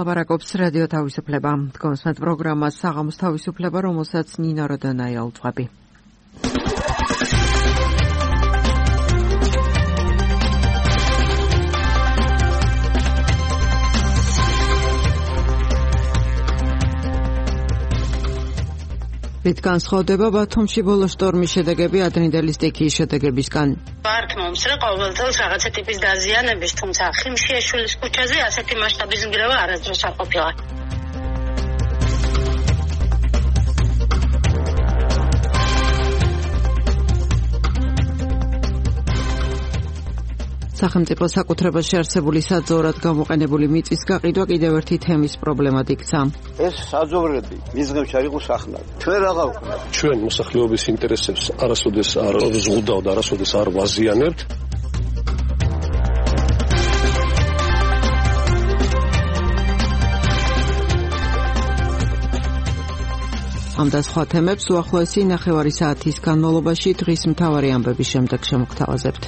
ლაპარაკობს რადიო თავისუფლება. კონსტანტ პროგრამას საღამოს თავისუფლება, რომელსაც ნინო როდონაია ელწვები. რითგან სხდება ბათუმში ბოლო შტორმის შედეგები ადრინდელი სტიქიის შედეგებისგან. მართმობს რა ყოველდღე რაღაცა ტიპის დაზიანების, თუმცა ხიმშიაშვილის ქუჩაზე ასეთი მასშტაბის ნგრევა არასდროს არ ყოფილა. სახელმწიფო საკუთრებაში არსებული საძოვრად გამოყენებული მიწის გაყიდვა კიდევ ერთი თემის პრობლემად იქცა. ეს საძოვრები მიზღებში არ იყოს ახლა. ჩვენ რაღა ვქნა. ჩვენ მოსახლეობის ინტერესებს არასოდეს არ ზღუდავთ, არასოდეს არ ვაზიანებთ. ამ და სხვა თემებს უახლოესი ნახევარი საათის განმავლობაში დღის მთავარი ამბების შემდეგ შემოგთავაზებთ.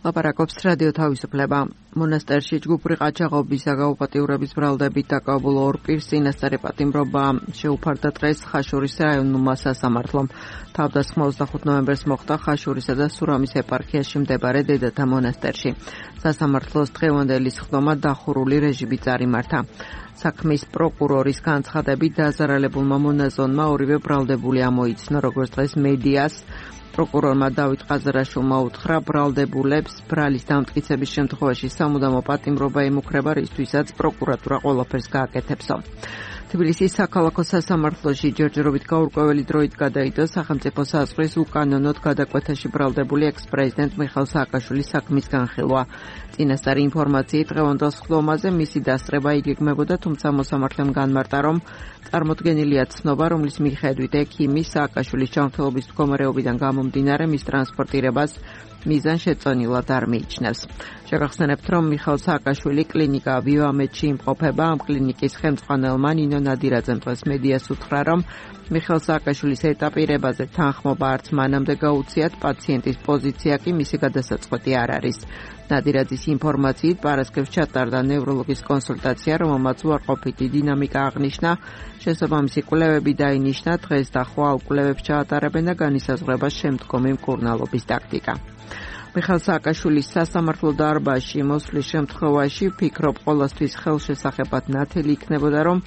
ლაპარაკობს რადიო თავისუფლება. მონასტერში ჯგუფური ყაჩაღობის საგაუპატიურების ბრალდებით დაკავებულ ორ პირს წინასწარი პატიმრობა შეუფარდა დღეს ხაშურის რაიონულმა სასამართლომ. თავდასხმა 25 ნოემბერს მოხდა ხაშურისა და სურამის ეპარქიაში მდებარე დედათა მონასტერში. სასამართლოს დღევანდელი სხდომა დახურული რეჟიმით წარიმართა. საქმის პროკურორის განცხადებით დაზარალებულმა მონაზონმა ორივე ბრალდებული ამოიცნო, როგორც დღეს მედიას. პროკურორმა დავით ყაზარაშვილმა უთხრა ბრალდებულებს ბრალის დამტკიცების შემთხვევაში სამუდამო პატიმრობა ემუქრება, რისთვისაც პროკურატურა ყველაფერს გააკეთებსო. თბილისის საქალაქო სასამართლოში ჯერჯერობით გაურკვეველი დროით გადაიდო სახელმწიფო საზღვრის უკანონოდ გადაკვეთაში ბრალდებული ექს-პრეზიდენტ მიხეილ სააკაშვილის საქმის განხილვა. წინასწარი ინფორმაციით დღევანდელ სხდომაზე მისი დასწრება იგეგმებოდა, თუმცა მოსამართლემ განმარტა, რომ წარმოდგენილია ცნობა, რომლის მიხედვით ექიმის სააკაშვილის ჯანმრთელობის მდგომარეობიდან გამომდინარე მის ტრანსპორტირებას მიზანშეწონილად არ მიიჩნევს. შეგახსენებთ, რომ მიხეილ სააკაშვილი კლინიკა ვივამედში იმყოფება. ამ კლინიკის ხელმძღვანელმა ნინო ნადირაძემ დღეს მედიას უთხრა, რომ მიხეილ სააკაშვილის ეტაპირებაზე თანხმობა არც მანამდე გაუციათ, პაციენტის პოზიცია კი მისი გადასაწყვეტი არ არის. ნადირაძის ინფორმაციით პარასკევს ჩატარდა ნევროლოგის კონსულტაცია, რომელმაც უარყოფითი დინამიკა აღნიშნა. შესაბამისი კვლევები დაინიშნა, დღეს და ხვალ კვლევებს ჩაატარებენ და განისაზღვრება შემდგომი მკურნალობის ტაქტიკა. მიხეილ სააკაშვილის სასამართლო დარბაზში მოსვლის შემთხვევაში ფიქრობ ყოველთვის ხელშესახებად ნათელი იქნებოდა, რომ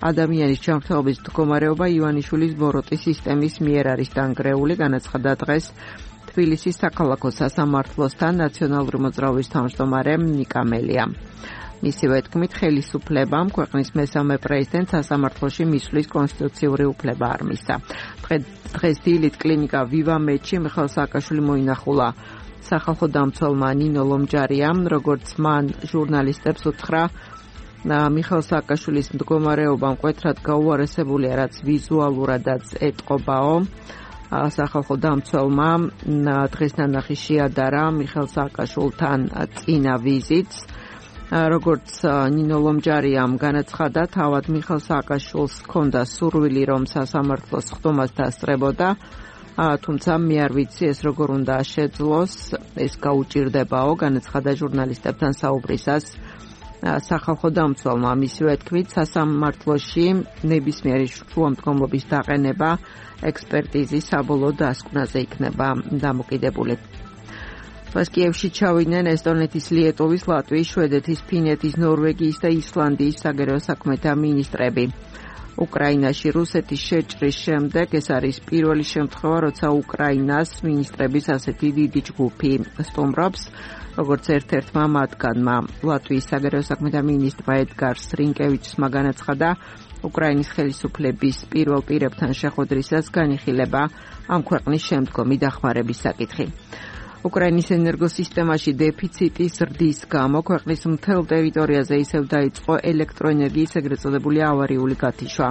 ადამიანის ჯანმრთელობის მდგომარეობა ივანიშვილის ბოროტის სისტემის მიერ არის დანგრეული, განაცხადა დღეს თბილისის საქალაქო სასამართლოსთან ნაციონალური მოძრაობის თავმჯდომარე ნიკა მელიამ. მისივე თქმით, ხელისუფლებამ ქვეყნის მესამე პრეზიდენტს სასამართლოში მისვლის კონსტიტუციური უფლება არ მისცა. დღეს დილით კლინიკა ვივამედში მიხეილ სააკაშვილი მოინახულა. სახალხო დამცველმა ნინო ლომჯარიამ, როგორც მან ჟურნალისტებს უთხრა, მიხეილ სააკაშვილის მდგომარეობა მკვეთრად გაუარესებულია, რაც ვიზუალურადაც ეტყობაო. სახალხო დამცველმა დღეს ნანახი შეადარა მიხეილ სააკაშვილთან წინა ვიზიტს. როგორც ნინო ლომჯარიამ განაცხადა, თავად მიხეილ სააკაშვილს ჰქონდა სურვილი, რომ სასამართლოს სხდომას დასწრებოდა, თუმცა მე არ ვიცი ეს როგორ უნდა შეძლოს, ეს გაუჭირდებაო, განაცხადა ჟურნალისტებთან საუბრისას სახალხო დამცველმა. მისივე თქმით, სასამართლოში ნებისმიერი შუამდგომლობის დაყენება ექსპერტიზის საბოლოო დასკვნაზე იქნება დამოკიდებული. დღეს კიევში ჩავიდნენ ესტონეთის, ლიეტუვის, ლატვიის, შვედეთის, ფინეთის, ნორვეგიის და ისლანდიის საგარეო საქმეთა მინისტრები. უკრაინაში რუსეთის შეჭრის შემდეგ ეს არის პირველი შემთხვევა, როცა უკრაინას მინისტრების ასეთი დიდი ჯგუფი სტუმრობს. როგორც ერთ-ერთმა მათგანმა ლატვიის საგარეო საქმეთა მინისტრმა ედგარ სრინკევიჩსმა განაცხადა, უკრაინის ხელისუფლების პირველ პირებთან შეხვედრისას განიხილება ამ ქვეყნის შემდგომი დახმარების საკითხი. უკრაინის ენერგოსისტემაში დეფიციტის ზრდის გამო ქვეყნის მთელ ტერიტორიაზე ისევ დაიწყო ელექტროენერგიის ეგრეთ წოდებული ავარიული გათიშვა.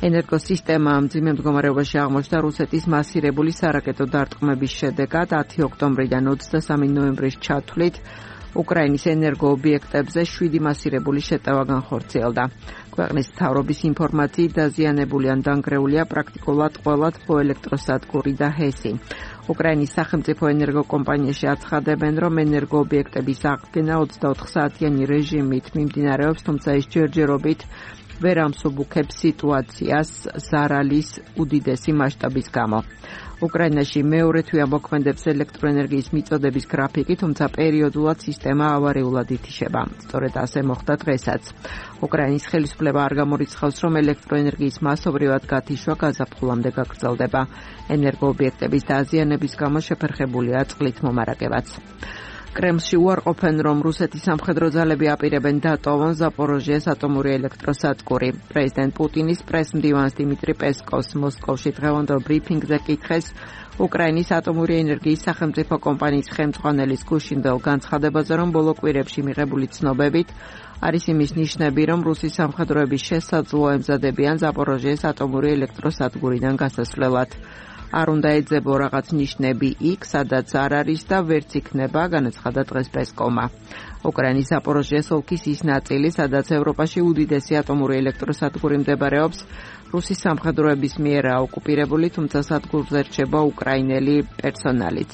ენერგოსისტემა მძიმე მდგომარეობაში აღმოჩნდა რუსეთის მასირებული სარაკეტო დარტყმების შედეგად 10 ოქტომბრიდან 23 ნოემბრის ჩათვლით უკრაინის ენერგოობიექტებზე 7 მასირებული შეტევა განხორციელდა. ქვეყნის მთავრობის ინფორმაციით დაზიანებული ან დანგრეულია პრაქტიკულად ყველა თბოელექტროსადგური და ჰესი. უკრაინის სახელმწიფო ენერგოკომპანიაში აცხადებენ, რომ ენერგოობიექტების აღდგენა 24 საათიანი რეჟიმით მიმდინარეობს, თუმცა ეს ჯერჯერობით ვერ ამსუბუქებს სიტუაციას ზარალის უდიდესი მასშტაბის გამო. უკრაინაში მეორე თვეა მოქმედებს ელექტროენერგიის მიწოდების გრაფიკი, თუმცა პერიოდულად სისტემა ავარიულად ითიშება. სწორედ ასე მოხდა დღესაც. უკრაინის ხელისუფლება არ გამორიცხავს, რომ ელექტროენერგიის მასობრივად გათიშვა გაზაფხულამდე გაგრძელდება. ენერგოობიექტების დაზიანების გამო შეფერხებულია წყლით მომარაგებაც. კრემლში უარყოფენ, რომ რუსეთის სამხედრო ძალები აპირებენ დატოვონ ზაპოროჟიეს ატომური ელექტროსადგური. პრეზიდენტ პუტინის პრეს-მდივანს დიმიტრი პესკოვს მოსკოვში დღევანდელ ბრიფინგზე კითხეს უკრაინის ატომური ენერგიის სახელმწიფო კომპანიის ხელმძღვანელის გუშინდელ განცხადებაზე, რომ ბოლო კვირებში მიღებული ცნობებით არის იმის ნიშნები, რომ რუსის სამხედროები შესაძლოა ემზადებიან ზაპოროჟიეს ატომური ელექტროსადგურიდან გასასვლელად. არ უნდა ეძებო რაღაც ნიშნები იქ, სადაც არ არის და ვერც იქნება, განაცხადა დღეს პესკოვმა. უკრაინის ზაპოროჟიეს ოლქის ის ნაწილი, სადაც ევროპაში უდიდესი ატომური ელექტროსადგური მდებარეობს, რუსის სამხედროების მიერაა ოკუპირებული, თუმცა სადგურზე რჩება უკრაინელი პერსონალიც.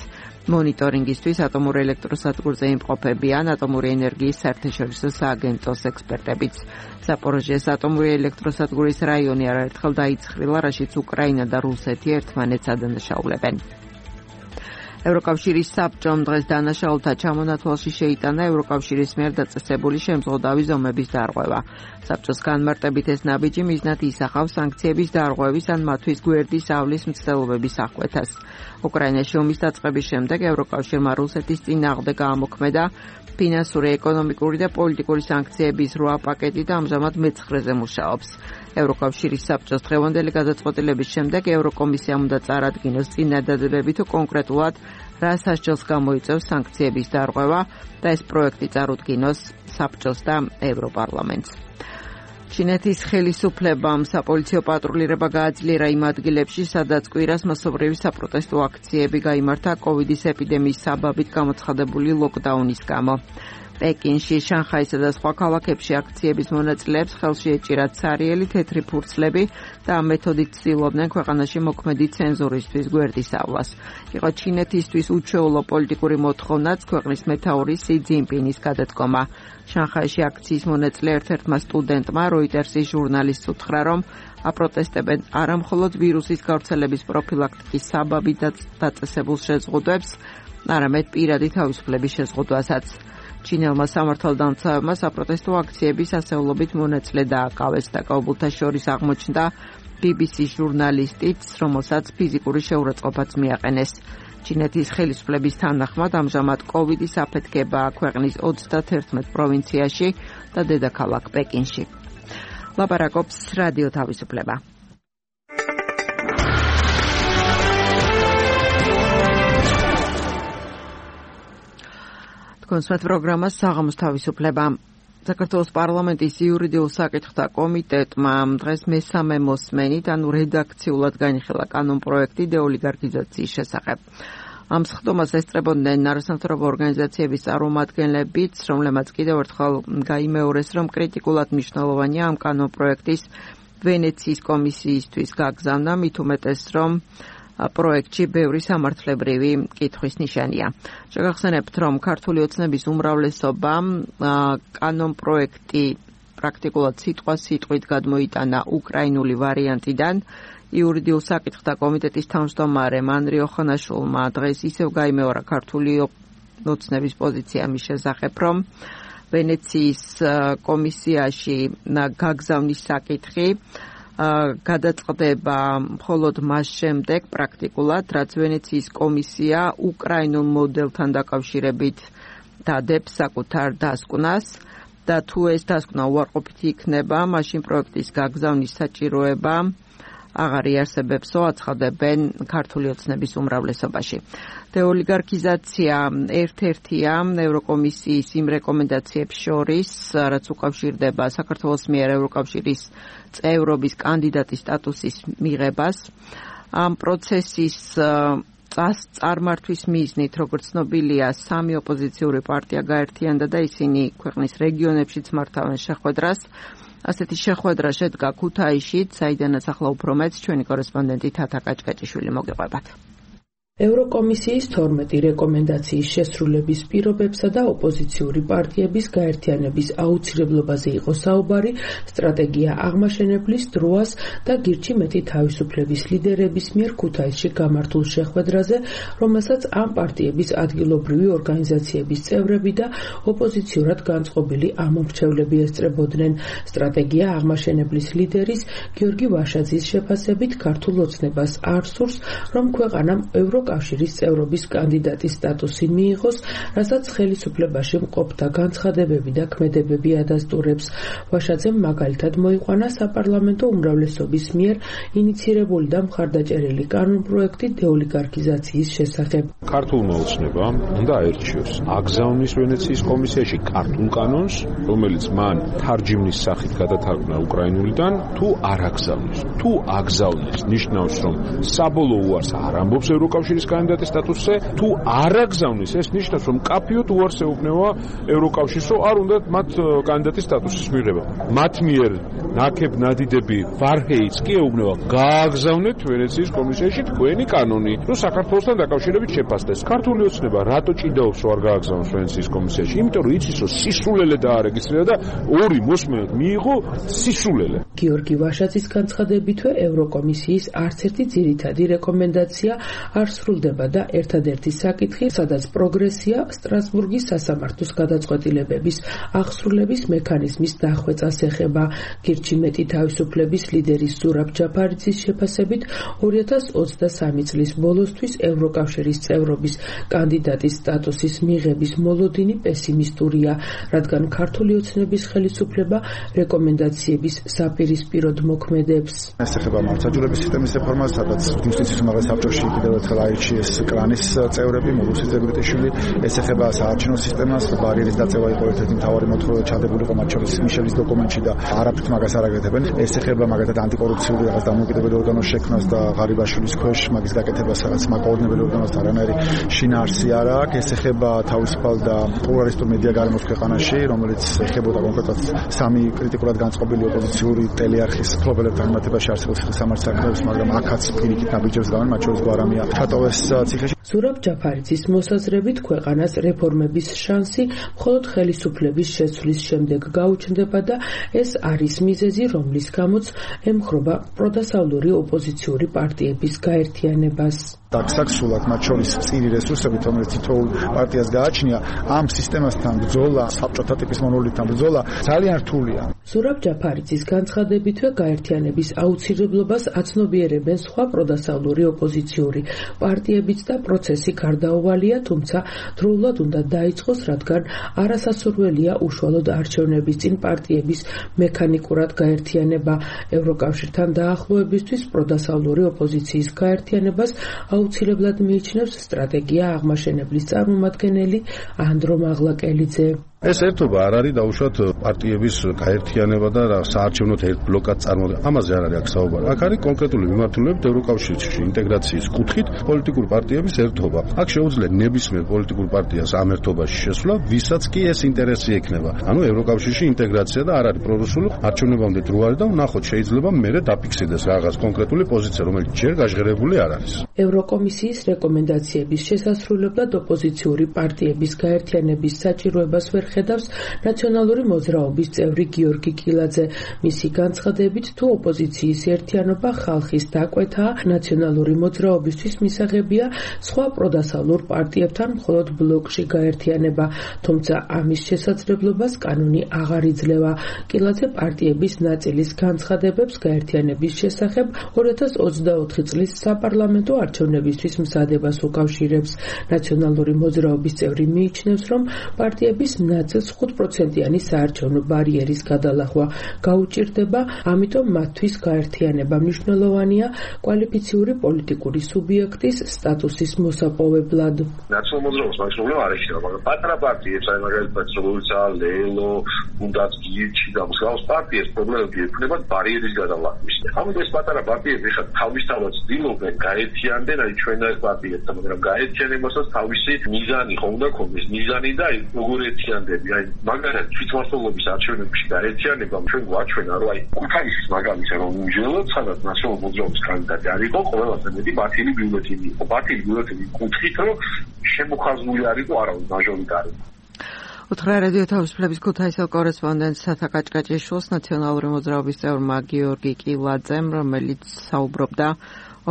მონიტორინგისთვის ატომურ ელექტროსადგურზე იმყოფებიან ატომური ენერგიის საერთაშორისო სააგენტოს ექსპერტებიც. ზაპოროჟიეს ატომური ელექტროსადგურის რაიონი არაერთხელ დაიცხრილა, რაშიც უკრაინა და რუსეთი ერთმანეთს ადანაშაულებენ. ევროკავშირის საბჭომ დღეს დანაშაულთა ჩამონათვალში შეიტანა ევროკავშირის მიერ დაწესებული შემზღუდავი ზომების დარღვევა. საბჭოს განმარტებით ეს ნაბიჯი მიზნად ისახავს სანქციების დარღვევის ან მათთვის გვერდის ავლის მცდელობების აღკვეთას. უკრაინაში ომის დაწყების შემდეგ ევროკავშირმა რუსეთის წინააღმდეგ გაამოქმედა ფინანსური, ეკონომიკური და პოლიტიკური სანქციების 8 პაკეტი და ამჟამად მე-9-ზე მუშაობს. ევროკავშირის საბჭოს დღევანდელი გადაწყვეტილების შემდეგ ევროკომისიამ უნდა წარადგინოს წინადადებები თუ კონკრეტულად რა სასჯელს გამოიწვევს სანქციების დარღვევა და ეს პროექტი წარუდგინოს საბჭოს და ევროპარლამენტს. ჩინეთის ხელისუფლებამ საპოლიციო პატრულირება გააძლიერა იმ ადგილებში, სადაც კვირას მასობრივი საპროტესტო აქციები გაიმართა კოვიდის ეპიდემიის საბაბით გამოცხადებული ლოკდაუნის გამო. პეკინში, შანხაისა და სხვა ქალაქებში აქციების მონაწილეებს ხელში ეჭირათ სარიელი თეთრი ფურცლები და ამ მეთოდით ცდილობდნენ ქვეყანაში მოქმედი ცენზურისთვის გვერდისავლას. იყო ჩინეთისთვის უჩვეულო პოლიტიკური მოთხოვნაც ქვეყნის მეთაური სი ძინპინის გადადგომა. შანხაიში აქციის მონაწილე ერთ-ერთმა სტუდენტმა როიტერსის ჟურნალისტს უთხრა, რომ აპროტესტებენ არამხოლოდ ვირუსის გავრცელების პროფილაქტიკის საბაბით დაწესებულ შეზღუდვებს, არამედ პირადი თავისუფლების შეზღუდვასაც. ჩინელმა სამართალდამცავებმა საპროტესტო აქციების ასეულობით მონაწილე დააკავეს. დაკავებულთა შორის აღმოჩნდა BBC-ის ჟურნალისტიც, რომელსაც ფიზიკური შეურაცხყოფაც მიაყენეს. ჩინეთის ხელისუფლების თანახმად ამჟამად კოვიდის აფეთქებაა ქვეყნის 31 პროვინციაში და დედაქალაქ პეკინში. ლაპარაკობს რადიო თავისუფლება. კონსულტ პროგრამას საღამოს თავისუფლება. საქართველოს პარლამენტის იურიდიულ საკითხთა კომიტეტმა დღეს მესამე მოსმენით, ანუ რედაქციულად განიხილა კანონპროექტი დეოლიგარქიზაციის შესახებ. ამ სხდომას ესწრებოდნენ არასამთავრობო ორგანიზაციების წარმომადგენლებიც, რომლებმაც კიდევ ერთხელ გაიმეორეს, რომ კრიტიკულად მნიშვნელოვანია ამ კანონპროექტის ვენეციის კომისიისთვის გაგზავნა, მით უმეტეს, რომ პროექტში ბევრი სამართლებრივი კითხვის ნიშანია. შეგახსენებთ, რომ ქართული ოცნების უმრავლესობა კანონპროექტი პრაქტიკულად სიტყვით გადმოიტანა უკრაინული ვარიანტიდან. იურიდიულ საკითხთა კომიტეტის თავმჯდომარე მანრი ოხანაშვილმა დღეს ისევ გაიმეორა ქართული ოცნების პოზიცია მის შესახებ, რომ ვენეციის კომისიაში გაგზავნის საკითხი გადაწყდება მხოლოდ მას შემდეგ პრაქტიკულად, რაც ვენეციის კომისია უკრაინულ მოდელთან დაკავშირებით დადებს საკუთარ დასკვნას და თუ ეს დასკვნა უარყოფითი იქნება, მაშინ პროექტის გაგზავნის საჭიროება აღარ იარსებებსო, აცხადებენ ქართული ოცნების უმრავლესობაში. დეოლიგარქიზაცია ერთ-ერთია ევროკომისიის იმ რეკომენდაციებს შორის, რაც უკავშირდება საქართველოს მიერ ევროკავშირის წევრობის კანდიდატის სტატუსის მიღებას. ამ პროცესის წარმართვის მიზნით, როგორც ცნობილია, 3 ოპოზიციური პარტია გაერთიანდა და ისინი ქვეყნის რეგიონებშიც მართავენ შეხვედრას. ასეთი შეხვედრა შედგა ქუთაისშიც, საიდანაც ახლა უფრო მეც ჩვენი კორესპონდენტი თათა კაჭკაჭიშვილი მოგეყვებათ. ევროკომისიის 12 რეკომენდაციის შესრულების პირობებსა და ოპოზიციური პარტიების გაერთიანების აუცილებლობაზე იყო საუბარი სტრატეგია აღმაშენებლის დროას და გირჩი მეტი თავისუფლების ლიდერების მიერ ქუთაისში გამართულ შეხვედრაზე, რომელსაც ამ პარტიების ადგილობრივი ორგანიზაციების წევრები და ოპოზიციურად განწყობილი ამომრჩევლები ესწრებოდნენ. სტრატეგია აღმაშენებლის ლიდერის გიორგი ვაშაძის შეფასებით ქართულ ოცნებას არ სურს, რომ ქვეყანამ კავშირის წევრობის კანდიდატის სტატუსი მიიღოს, რასაც ხელისუფლებაში მყოფთა განცხადებები და ქმედებები ადასტურებს. ვაშაძემ მაგალითად მოიყვანა საპარლამენტო უმრავლესობის მიერ ინიცირებული და მხარდაჭერილი კანონპროექტი დეოლიგარქიზაციის შესახებ. ქართულმა ოცნებამ უნდა აერჩიოს აგზავნის ვენეციის კომისიაში ქართულ კანონს, რომელიც მან თარჯიმნის სახით გადათარგმნა უკრაინულიდან, თუ არ აგზავნის. თუ აგზავნის, ნიშნავს, რომ საბოლოო უარს არ ამბობს ევროკავშირის კანდიდატის სტატუსზე, თუ არ აგზავნის, ეს ნიშნავს, რომ კაფიოდ უარს ეუბნება ევროკავშირს, რომ არ უნდათ მათ კანდიდატის სტატუსის მიღება. მათ მიერ ნაკებ ნადიდები ვარჰეიც კი ეუბნება, გააგზავნეთ ვენეციის კომისიაში თქვენი კანონი, რომ საქართველოსთან დაკავშირებით შეფასდეს. ქართული ოცნება რატო ჭიდაობს, რომ არ გააგზავნოს ვენეციის კომისიაში? იმიტომ რომ იცის, რომ სისულელე დაარეგისტრირა და ორი მოსმენად მიიღო სისულელე. გიორგი ვაშაძის განცხადებითვე ევროკომისიის არც ერთი ძირითადი რეკომენდაცია არ სრულდება და ერთადერთი საკითხი, სადაც პროგრესია სტრასბურგის სასამართლოს გადაწყვეტილებების აღსრულების მექანიზმის დახვეწას ეხება. გირჩი მეტი თავისუფლების ლიდერის ზურაბ ჯაფარიძის შეფასებით 2023 წლის ბოლოსთვის ევროკავშირის წევრობის კანდიდატის სტატუსის მიღების მოლოდინი პესიმისტურია, რადგან ქართული ოცნების ხელისუფლება რეკომენდაციების საპირისპიროდ მოქმედებს. ეს ეხება მართლმსაჯულების სისტემის რეფორმას, სადაც იუსტიციის უმაღლეს საბჭოში კიდევ ერთხელ აირჩიეს კრანის წევრები, მოგუსი ზებრიტიშვილი. ეს ეხება საარჩევნო სისტემას, ბარიერის დაწევა იყო ერთ-ერთი მთავარი მოთხოვნა ჩადებულიყო მათ შორის მიშელის დოკუმენტში და არაფრით მაგას არ აკეთებენ. ეს ეხება მაგათად ანტიკორუფციული რაღაც დამოუკიდებელი ორგანოს შექმნას და ღარიბაშვილის ქვეშ მაგის გაკეთებას, სადაც მაგაოდნებელი ორგანოს არანაირი შინაარსი არ აქვს. ეს ეხება თავისუფალ და პლურალისტურ მედია გარემოს ქვეყანაში, რომელიც ეხებოდა კონკრეტულად 3 კრიტიკულად განწყობილი ოპოზიციური ტელეარხის ფლობელებთან მიმართებაში არსებულ სამართლის საკითხებს, მაგრამ აქაც პირიქით ნაბიჯებს გავენ, მათ შორის გვარამია ჩატოვეს ციხეში. ზურაბ ჯაფარიძის მოსაზრებით ქვეყანას რეფორმების შანსი მხოლოდ ხელისუფლების შეცვლის შემდეგ გაუჩნდება და ეს არის მიზეზი, რომლის გამოც ემხრობა პროდასავლური ოპოზიციური პარტიების გაერთიანებას. საქსულად მათ შორის წირი რესურსებით, რომელიც თითოეულ პარტიას გააჩნია, ამ სისტემასთან ბრძოლა, საბჭოთა ტიპის მონოლითთან ბრძოლა ძალიან რთულია. ზურაბ ჯაფარიძის განცხადებითვე გაერთიანების აუცილებლობას აცნობიერებენ სხვა პროდასავლური ოპოზიციური პარტიებიც და პროცესი გარდაუვალია, თუმცა დროულად უნდა დაიწყოს, რადგან არასასურველია უშუალოდ არჩევნების წინ პარტიების მექანიკურად გაერთიანება. ევროკავშირთან დაახლოებისთვის პროდასავლური ოპოზიციის გაერთიანებას აუცილებლად მიიჩნევს სტრატეგია აღმაშენებლის წარმომადგენელი ანდრო მაღლაკელიძე. ეს ერთობა არ არის დაუშვათ პარტიების გაერთიანება და საარჩევნოთ ერთ ბლოკად წარმოდგენა. ამაზე არ არის აქ საუბარი. აქ არის კონკრეტული მიმართულებებით ევროკავშირში ინტეგრაციის კუთხით პოლიტიკური პარტიების ერთობა. აქ შეუძლია ნებისმიერ პოლიტიკურ პარტიას ამ ერთობაში შესვლა, ვისაც კი ეს ინტერესი ექნება. ანუ ევროკავშირში ინტეგრაცია და არ არის პრორუსული არჩევნებამდე დრო არის და ვნახოთ, შეიძლება მერე დაფიქსირდეს რაღაც კონკრეტული პოზიცია, რომელიც ჯერ გაჟღერებული არ არის. ევროკომისიის რეკომენდაციების შესასრულებლად ოპოზიციური პარტიების გაერთიანების საჭიროებას ვერ ხედავს ნაციონალური მოძრაობის წევრი გიორგი კილაძე. მისი განცხადებით, თუ ოპოზიციის ერთიანობა ხალხის დაკვეთაა, ნაციონალური მოძრაობისთვის მისაღებია სხვა პროდასავლურ პარტიებთან მხოლოდ ბლოკში გაერთიანება, თუმცა ამის შესაძლებლობას კანონი აღარ იძლევა. კილაძე პარტიების ნაწილის განცხადებებს გაერთიანების შესახებ 2024 წლის საპარლამენტო არჩევნებისთვის მზადებას უკავშირებს. ნაციონალური მოძრაობის წევრი მიიჩნევს, რომ პარტიების ნაწილს 5%-იანი საარჩევნო ბარიერის გადალახვა გაუჭირდება, ამიტომ მათთვის გაერთიანება მნიშვნელოვანია კვალიფიციური პოლიტიკური სუბიექტის სტატუსის მოსაპოვებლად. ნაციონალურ მოძრაობას მაგის პრობლემა არ ეჩქება, მაგრამ პატარა პარტიებს, აი მაგალითად როგორიცაა ლელო, უნდაც გიჩი და მსგავს პარტიებს პრობლემები ექნებათ ბარიერის გადალახვის. ამიტომ ეს პატარა პარტიები ხა თავისთავად ცდილობენ გაერთიანდნენ აი ჩვენ ეს პარტიებთან, მაგრამ გაერთიანებასაც თავისი მიზანი ხო უნდა ქონდეს, მიზანი და აი როგორ ერთიანდები, აი მაგალითად თვითმმართველობის არჩევნებში გაერთიანებამ ჩვენ გვაჩვენა, რომ აი ქუთაისის მაგალითად რომ უმჯელოდ სადაც ნაციონალურ მოძრაობის კანდიდატი არ იყო, ყველაზე მეტი ბათილი ბიულეტენი იყო. ბათილი ბიულეტენი კუთხით, რომ შემოხაზული არ იყო არავინ მაჟორიტარი. უთხრა რადიო თავისუფლების ქუთაისელ კორესპონდენტს სათა კაჭკაჭიშვილს ნაციონალური მოძრაობის წევრმა გიორგი კილაძემ, რომელიც საუბრობდა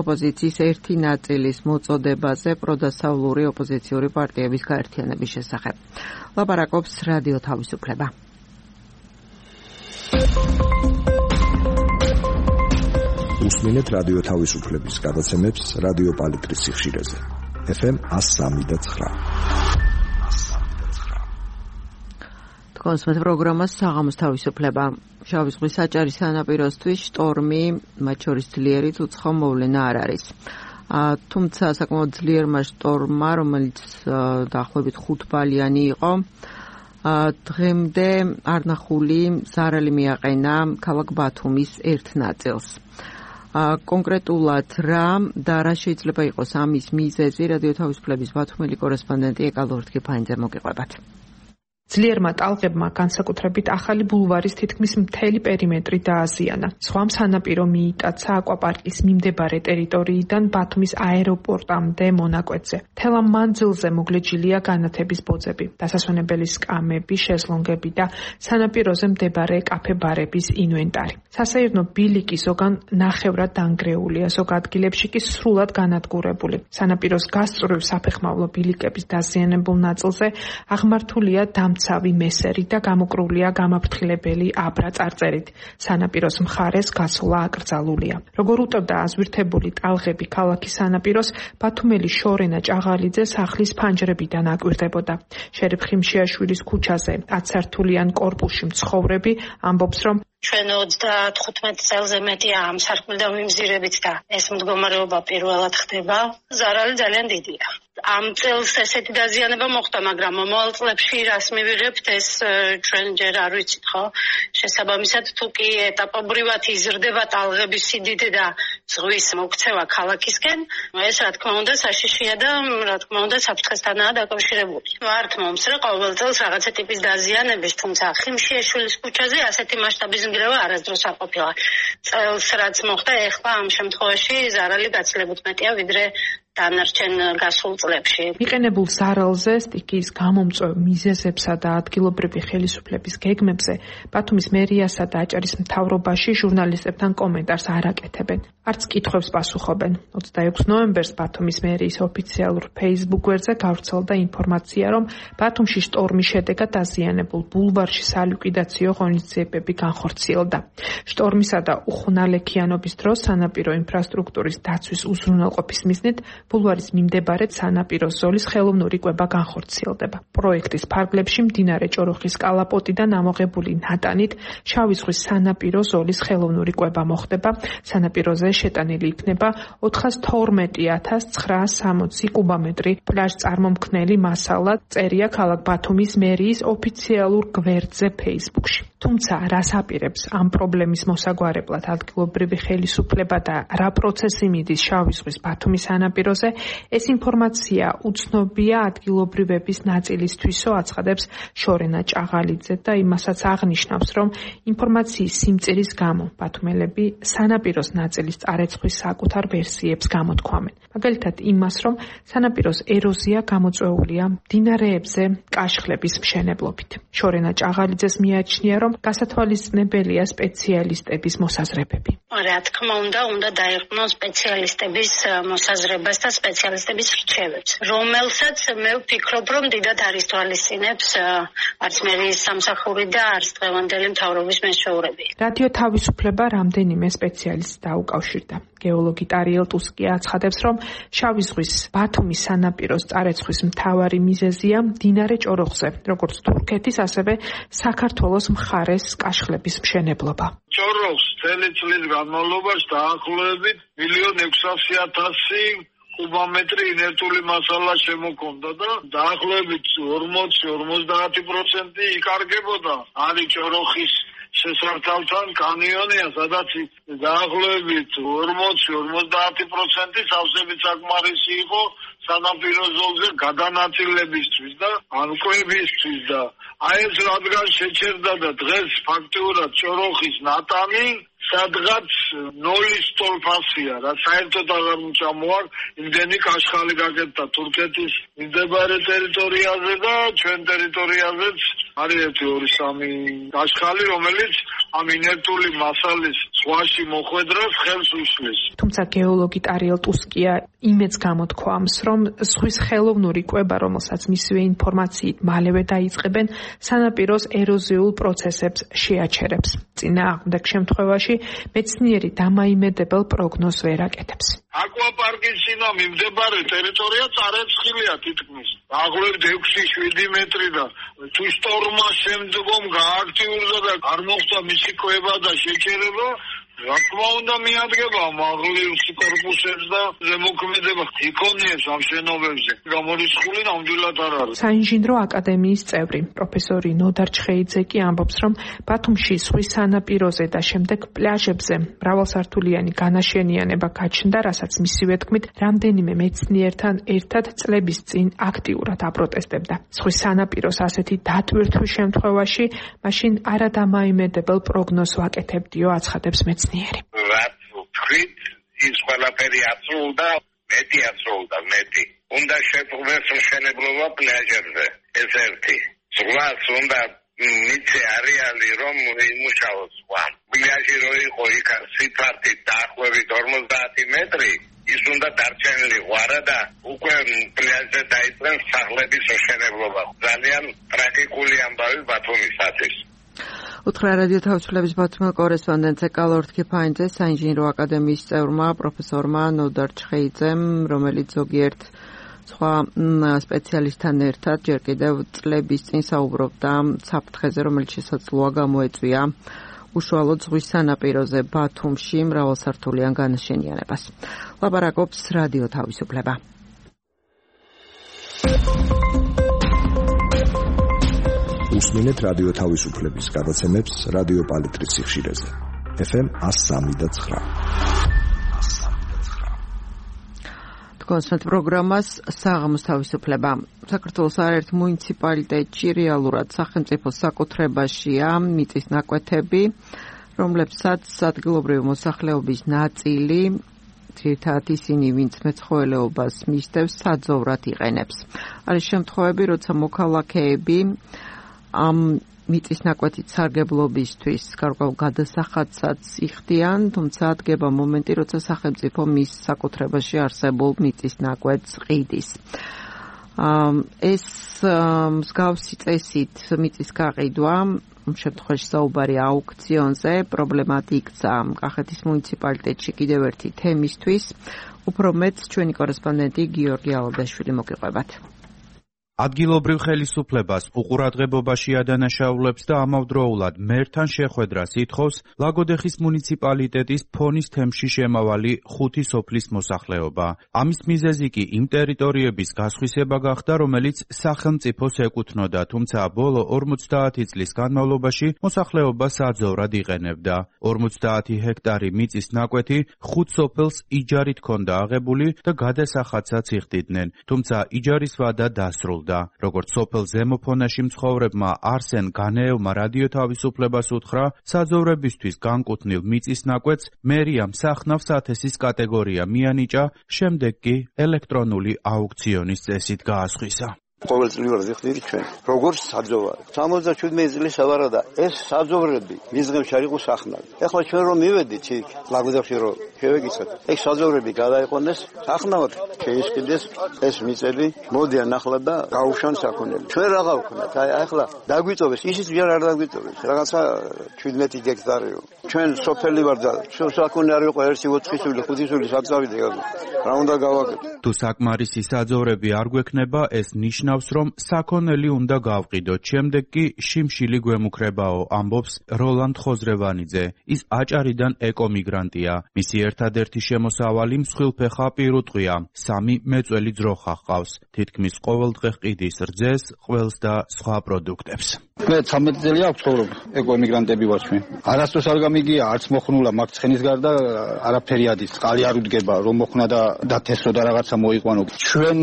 ოპოზიციის ერთი ნაწილის მოწოდებაზე პროდასავლური ოპოზიციური პარტიების გაერთიანების შესახებ. ლაპარაკობს რადიო თავისუფლება. უსმენთ რადიო თავისუფლების გადაცემებს რადიო პალიტრის სიხშირეზე. FM 103.9. კონსმეთ პროგრამას საღამოს თავისუფლება. შავი ზღვის საჭარი სანაპიროსთვის შტორმი, მათ შორის ძლიერიც უცხო მოვლენა არ არის. თუმცა საკმაოდ ძლიერმა შტორმმა, რომელიც დაახლოებით 5 ბალიანი იყო, დღემდე არნახული ზარალი მიაყენა ქალაქ ბათუმის ერთ ნაწილს. კონკრეტულად რა და რა შეიძლება იყოს ამის მიზეზი, რადიო თავისუფლების ბათუმელი კორესპონდენტი ეკალორთკიფაინძე მოგიყვებათ. ძლიერმა ტალღებმა განსაკუთრებით ახალი ბულვარის თითქმის მთელი პერიმეტრი დააზიანა. სხვა სანაპირო მიიტაცა აკვაპარკის მიმდებარე ტერიტორიიდან ბათუმის აეროპორტამდე მონაკვეთზე. მთელ ამ მანძილზე მოგლეჯილია განათების ბოძები, დასასვენებელი სკამები, შეზლონგები და სანაპიროზე მდებარე კაფე-ბარების ინვენტარი. სასეირნო ბილიკი ზოგან ნახევრად დანგრეულია, ზოგ ადგილებში კი სრულად განადგურებული. სანაპიროს გასწვრივ საფეხმავლო ბილიკების დაზიანებულ ნაწილზე აღმართულია დამცავი მესერი და გამოკრულია გამაფრთხილებელი აბრა წარწერით. სანაპიროს მხარეს გასვლა აკრძალულია. როგორ უწევდა აზვირთებული ტალღები ქალაქის სანაპიროს, ბათუმელი შორენა ჭაღალიძე სახლის ფანჯრებიდან აკვირდებოდა. შერიფ ხიმშიაშვილის ქუჩაზე 10 სართულიან კორპუსში მცხოვრები ამბობს, რომ ჩვენ 35 წელზე მეტია ამ სარკმლიდან ვიმზირებით და ეს მდგომარეობა პირველად ხდება. ზარალი ძალიან დიდია. ამ წელს ესეთი დაზიანება მოხდა, მაგრამ მომავალ წლებში რას მივიღებთ, ეს ჩვენ ჯერ არ ვიცით, ხო? შესაბამისად, თუ კი ეტაპობრივად იზრდება ტალღების სიდიდე და ზღვის მოქცევა ქალაქისკენ, ეს რა თქმა უნდა საშიშია და რა თქმა უნდა საფრთხესთანაა დაკავშირებული. ვართ მომსწრე ყოველ წელს რაღაცა ტიპის დაზიანების, თუმცა ხიმშიაშვილის ქუჩაზე ასეთი მასშტაბის ნგრევა არასდროს არ ყოფილა. წელს რაც მოხდა, ეხლა ამ შემთხვევაში ზარალი გაცილებით მეტია ვიდრე დანარჩენ გასულ წლებში. მიყენებულ ზარალზე, სტიქიის გამომწვევ მიზეზებსა და ადგილობრივი ხელისუფლების გეგმებზე ბათუმის მერიასა და აჭარის მთავრობაში ჟურნალისტებთან კომენტარს არ აკეთებენ. არც კითხვებს პასუხობენ. 26 ნოემბერს ბათუმის მერიის ოფიციალურ Facebook გვერდზე გავრცელდა ინფორმაცია, რომ ბათუმში შტორმის შედეგად დაზიანებულ ბულვარში სალიკვიდაციო ღონისძიებები განხორციელდა. შტორმისა და უხუნალექიანობის დროს სანაპირო ინფრასტრუქტურის დაცვის უზრუნველყოფის მიზნით ბულვარის მიმდებარედ სანაპიროს ზოლის ხელოვნური კვება განხორციელდება. პროექტის ფარგლებში მდინარე ჭოროხის კალაპოტიდან ამოღებული ნატანით შავი ზღვის სანაპირო ზოლის ხელოვნური კვება მოხდება. სანაპიროზე შეტანილი იქნება 412.960 კუბომეტრი პლაჟ-წარმომქმნელი მასალა, წერია ქალაქ ბათუმის მერიის ოფიციალურ გვერდზე Facebook-ში. თუმცა რას აპირებს ამ პრობლემის მოსაგვარებლად ადგილობრივი ხელისუფლება და რა პროცესი მიდის შავი ზღვის ბათუმის სანაპიროზე, ეს ინფორმაცია უცნობია ადგილობრივების ნაწილისთვისო, აცხადებს შორენა ჭაღალიძე და იმასაც აღნიშნავს, რომ ინფორმაციის სიმწირის გამო ბათუმელები სანაპიროს ნაწილის წარეცხვის საკუთარ ვერსიებს გამოთქვამენ. მაგალითად იმას, რომ სანაპიროს ეროზია გამოწვეულია მდინარეებზე კაშხლების მშენებლობით. შორენა ჭაღალიძეს მიაჩნია, რომ გასათვალისწინებელია სპეციალისტების მოსაზრებები. რა თქმა უნდა დაეყრდნოს სპეციალისტების მოსაზრებას და სპეციალისტების რჩევებს, რომელსაც მე ვფიქრობ, რომ დიდად არის თვალისწინებს არც მერიის სამსახური და არც დღევანდელი მთავრობის მეშვეურები. რადიო თავისუფლება რამდენიმე სპეციალისტს დაუკავშირდა. გეოლოგი ტარიელ ტუსკია აცხადებს, რომ შავი ზღვის ბათუმის სანაპიროს წარეცხვის მთავარი მიზეზია მდინარე ჭოროხზე, როგორც თურქეთის, ასევე საქართველოს მხარეს კაშხლების მშენებლობა. ჭოროხს წელი წლის განმავლობაში დაახლოებით 1.600.000 კუბომეტრი ინერტული მასალა შემოქონდა და დაახლოებით 40-50% იკარგებოდა. არის ჭოროხის შესართავთან კანიონია, სადაც დაახლოებით 40-50% სავსებით საკმარისი იყო სანაპირო ზოლზე გადანაწილებისთვის და ანკვებისთვის და აი ეს რადგან შეჩერდა და დღეს ფაქტიურად ჭოროხის ნატანი სადღაც 0-ის ტოლფასია რა საერთოდ აღარ მოწამოარ იმდენი კაშხალი გაკეთდა თურქეთის მდებარე ტერიტორიაზე და ჩვენ ტერიტორიაზეც არის 1-2-3 კაშხალი რომელიც ამ ინერტული მასალის ზღვაში მოხვედრას ხელს უშლის. თუმცა გეოლოგი ტარიელ ტუსკია იმეც გამოთქვამს, რომ ზღვის ხელოვნური კვება, რომელსაც მისივე ინფორმაციით მალევე დაიწყებენ, სანაპიროს ეროზიულ პროცესებს შეაჩერებს. წინააღმდეგ შემთხვევაში მეცნიერი დამაიმედებელ პროგნოზს ვერ აკეთებს. აკვაპარკის წინა მიმდებარე ტერიტორია წარეცხილია თითქმის. აღვლევთ 6-7 მეტრი და თუ შტორმა შემდგომ გააქტიურდა და არ მოხდა მისი კვება და შეჩერება, რა თქმა უნდა მიადგება მაღლის კორპუსებს და ზემოქმედება იქონიებს ამ შენობებზე. გამორიცხული ნამდვილად არ არის. საინჟინრო აკადემიის წევრი პროფესორი ნოდარ ჩხეიძე კი ამბობს, რომ ბათუმში ზღვის სანაპიროზე და შემდეგ პლაჟებზე მრავალსართულიანი განაშენიანება გაჩნდა, რასაც მისივე თქმით, რამდენიმე მეცნიერთან ერთად წლების წინ აქტიურად აპროტესტებდა. ზღვის სანაპიროს ასეთი დატვირთვის შემთხვევაში, მაშინ არადამაიმედებელ პროგნოზს ვაკეთებდიო, აცხადებს მეცნიერი. რაც თქვით, ის ყველაფერი აცრუვდა, მეტი. უნდა შეწყდეს მშენებლობა პლაჟებზე. ეს ერთი. ზღვას უნდა მიცე არეალი რომ იმუშაოს სხვა. პლაჟი რო იყო იქ სიფართით დაახლოებით 50 მეტრი, ის უნდა დარჩენილიყო და უკვე პლაჟზე დაიწყეს სახლების მშენებლობა. ძალიან ტრაგიკული ამბავი ბათუმისათვის. უთხრა რადიო თავისუფლების ბათუმის კორესპონდენტ ეკალორდ ქიფაინძე საინჟინრო აკადემიის წევრმა პროფესორმა ნოდარ ჩხეიძემ, რომელიც ზოგიერთ სხვა სპეციალისტთან ერთად ჯერ კიდევ წლების წინ საუბრობდა საფრთხეზე, რომელიც შესაძლოა გამოეწვია უშუალოდ ზღვის სანაპიროზე ბათუმში მრავალსართულიან განაშენიანებას. ლაპარაკობს რადიო თავისუფლება. უსმინეთ რადიო თავისუფლების გადაცემებს რადიო პალიტრის სიხშირეზე. FM 103.9. კონსერტ პროგრამას საღამოს თავისუფლება. საქართველოს არაერთ მუნიციპალიტეტში რეალურად სახელმწიფო საკუთრებაშია მიწის ნაკვეთები, რომლებსაც ადგილობრივი მოსახლეობის ნაწილი ძირითადად ისინი, ვინც მეცხოველეობას მისდევს, საძოვრად იყენებს. არის შემთხვევები, როცა მოქალაქეები ამ მიწის ნაკვეთით სარგებლობისთვის გარკვეულ გადასახადსაც იხდიან, თუმცა დგება მომენტი, როცა სახელმწიფო მის საკუთრებაში არსებულ მიწის ნაკვეთს ყიდის. ეს მსგავსი წესით მიწის გაყიდვა, შემთხვევაში საუბარი აუქციონზე, პრობლემად იქცა კახეთის მუნიციპალიტეტში კიდევ ერთი თემისთვის. უფრო მეტს ჩვენი კორესპონდენტი გიორგი ალადაშვილი მოგიყვებათ. ადგილობრივ ხელისუფლებას უყურადღებობაში ადანაშაულებს და ამავდროულად მერთან შეხვედრას ითხოვს ლაგოდეხის მუნიციპალიტეტის ფონის თემში შემავალი 5 სოფლის მოსახლეობა. ამის მიზეზი კი იმ ტერიტორიების გასხვისება გახდა, რომელიც სახელმწიფოს ეკუთვნოდა, თუმცა ბოლო 50 წლის განმავლობაში მოსახლეობა საძოვრად იყენებდა. 50 ჰექტარი მიწის ნაკვეთი 5 სოფელს იჯარით ჰქონდა აღებული და გადასახადსაც იხდიდნენ, თუმცა იჯარის ვადა დასრულდა. როგორც სოფელ ზემოფონაში მცხოვრებმა არსენ განეევმა რადიო თავისუფლებას უთხრა, საძოვრებისთვის განკუთვნილ მიწის ნაკვეთს მერიამ სახნავ სათესის კატეგორია მიანიჭა, შემდეგ კი ელექტრონული აუქციონის წესით გაასხვისა. ყოველწლიურად იხდით ჩვენ როგორც საძოვარი 77 წლის ავარა და ეს საძოვრები მისგემში არ იყო სახნავი. ეხლა ჩვენ რომ მივედით იქ ლაგოდეხში რომ შევეკითხეთ ეს საძოვრები გადაიყონეს სახნავად შეისყიდეს ეს მიწები მოდიან ახლა და გაუშვან საქონელი. ჩვენ რა გავქნათ? აი ახლა დაგვიწოვეს ისიც ჯერ არ დაგვიწოვეს რაღაცა 17 ჰექტარიო. ჩვენ სოფელი ვარ და საქონელი არ იყო 1 4 სული 5 სული საწავიდე რა უნდა გავაკეთო? თუ საკმარისი საძოვრები არ გვექნება ეს ნიშნავს რომ საქონელი უნდა გავყიდოთ. შემდეგ კი შიმშილი გვემუქრებაო, ამბობს როლანდ ხოზრევანიძე. ის აჭარიდან ეკომიგრანტია. მისი ერთადერთი შემოსავალი მსხვილფეხა პირუტყვია. 3 მეწველი ძროხა ჰყავს. თითქმის ყოველდღე ყიდის რძეს, ყველს და სხვა პროდუქტებს. მე 13 წელი აქვს ცხოვრობ, ეკოემიგრანტები ვარ ჩვენ. არასდროს არ გამიგია, არც მოხნულა მაგ ცხენის გარდა არაფერი ადის, წყალი არ უდგება, რომ მოხნა და დათესო და რაღაცა მოიყვანო. ჩვენ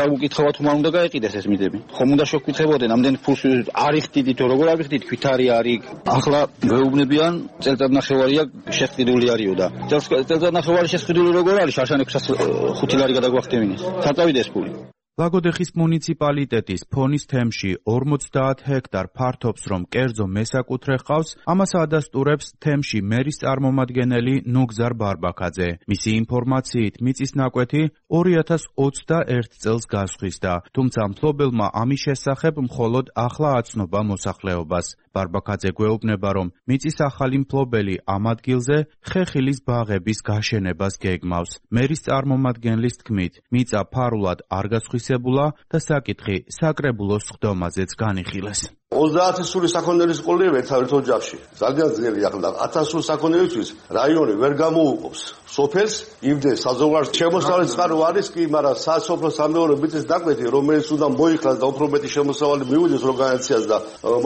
დავუკითხავთ თუ მან უნდა გაეყიდეს ეს მიწები. ხომ უნდა შევკითხებოდნენ, ამდენ ფულს არ იხდიდით, როგორ არ იხდიდით, ქვითარი არის. ახლა გვეუბნებიან, წელწადნახევარია შეყიდული არისო და წელწადნახევარი შეყიდული როგორ არის? შარშან 605 ლარი გადაგვახტემინეს. საწავიდეს ეს ფული. ლაგოდეხის მუნიციპალიტეტის ფონის თემში 50 ჰექტარ ფართობს, რომ კერძო მესაკუთრე ჰყავს, ამას ადასტურებს თემში მერის წარმომადგენელი ნუგზარ ბარბაქაძე. მისი ინფორმაციით მიწის ნაკვეთი 2021 წელს გასხვისდა, თუმცა მფლობელმა ამის შესახებ მხოლოდ ახლა აცნობა მოსახლეობას. ბარბაქაძე გვეუბნება, რომ მიწის ახალი მფლობელი ამ ადგილზე ხეხილის ბაღების გაშენებას გეგმავს. მერის წარმომადგენლის თქმით, მიწა ფარულად არ გასხვისებულა და საკითხი საკრებულოს ხდომაზეც განიხილეს. 30 სული საქონელის ყოლია ერთ ოჯახში. ძალიან ძნელი ახლა 1000 სულ საქონელისთვის რაიონი ვერ გამოუყოფს. სოფელს იმდეს საზღვარგარეთ შემოსავალი წყარო არის კი, მაგრამ სასოფლო სამეურნეო მიწის ნაკვეთი, რომელიც უნდა მოიხსნას და უფრო მეტი შემოსავალი მიუძდეს ორგანიზაციას და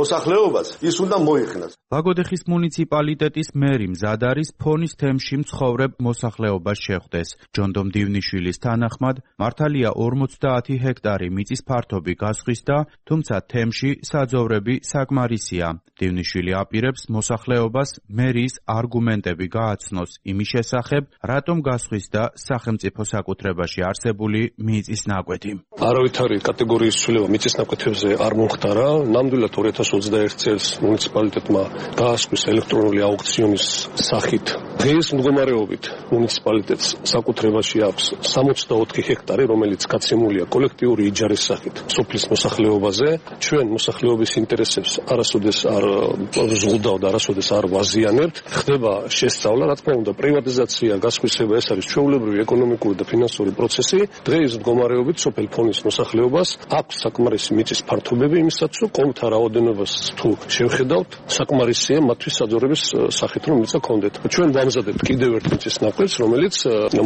მოსახლეობას, ის უნდა მოიხსნას. ლაგოდეხის მუნიციპალიტეტის მერი მზად არის ფონის თემში მცხოვრებ მოსახლეობას შეხვდეს. ჯონდომ დივნიშვილის თანახმად, მართალია 50 ჰექტარი მიწის ფართობი გასხვისდა, თუმცა თემში საძოვრები საკმარისია. დივნიშვილი აპირებს მოსახლეობას მერიის არგუმენტები გააცნოს იმის შესახებ, რატომ გასხვისდა სახელმწიფო საკუთრებაში არსებული მიწის ნაკვეთი. არავითარი კატეგორიის ცვლილება მიწის ნაკვეთებზე არ მომხდარა. ნამდვილად 2021 წელს მუნიციპალიტეტმა გაასხვის ელექტრონული აუქციონის სახით. დღეს მდგომარეობით მუნიციპალიტეტს საკუთრებაში აქვს 64 ჰექტარი, რომელიც გაცემულია კოლექტიური იჯარის სახით სოფლის მოსახლეობაზე. ჩვენ მოსახლეობის ინტერესებს არასოდეს არ ზღუდავ და არასოდეს არ ვაზიანებთ. ხდება შესწავლა, რა თქმა უნდა, პრივატიზაცია, გასხვისება, ეს არის ჩვეულებრივი ეკონომიკური და ფინანსური პროცესი. დღეს მდგომარეობით სოფელ ფონის მოსახლეობას აქვს საკმარისი მიწის ფართობები იმისათვის, რომ კონთა რაოდენობას თუ შევხედავთ, საკმარისია მათთვის საძოვრების სახით რომ მიწა კონდეთ. ჩვენ ვამზადებთ კიდევ ერთ მიწის ნაკვეთს, რომელიც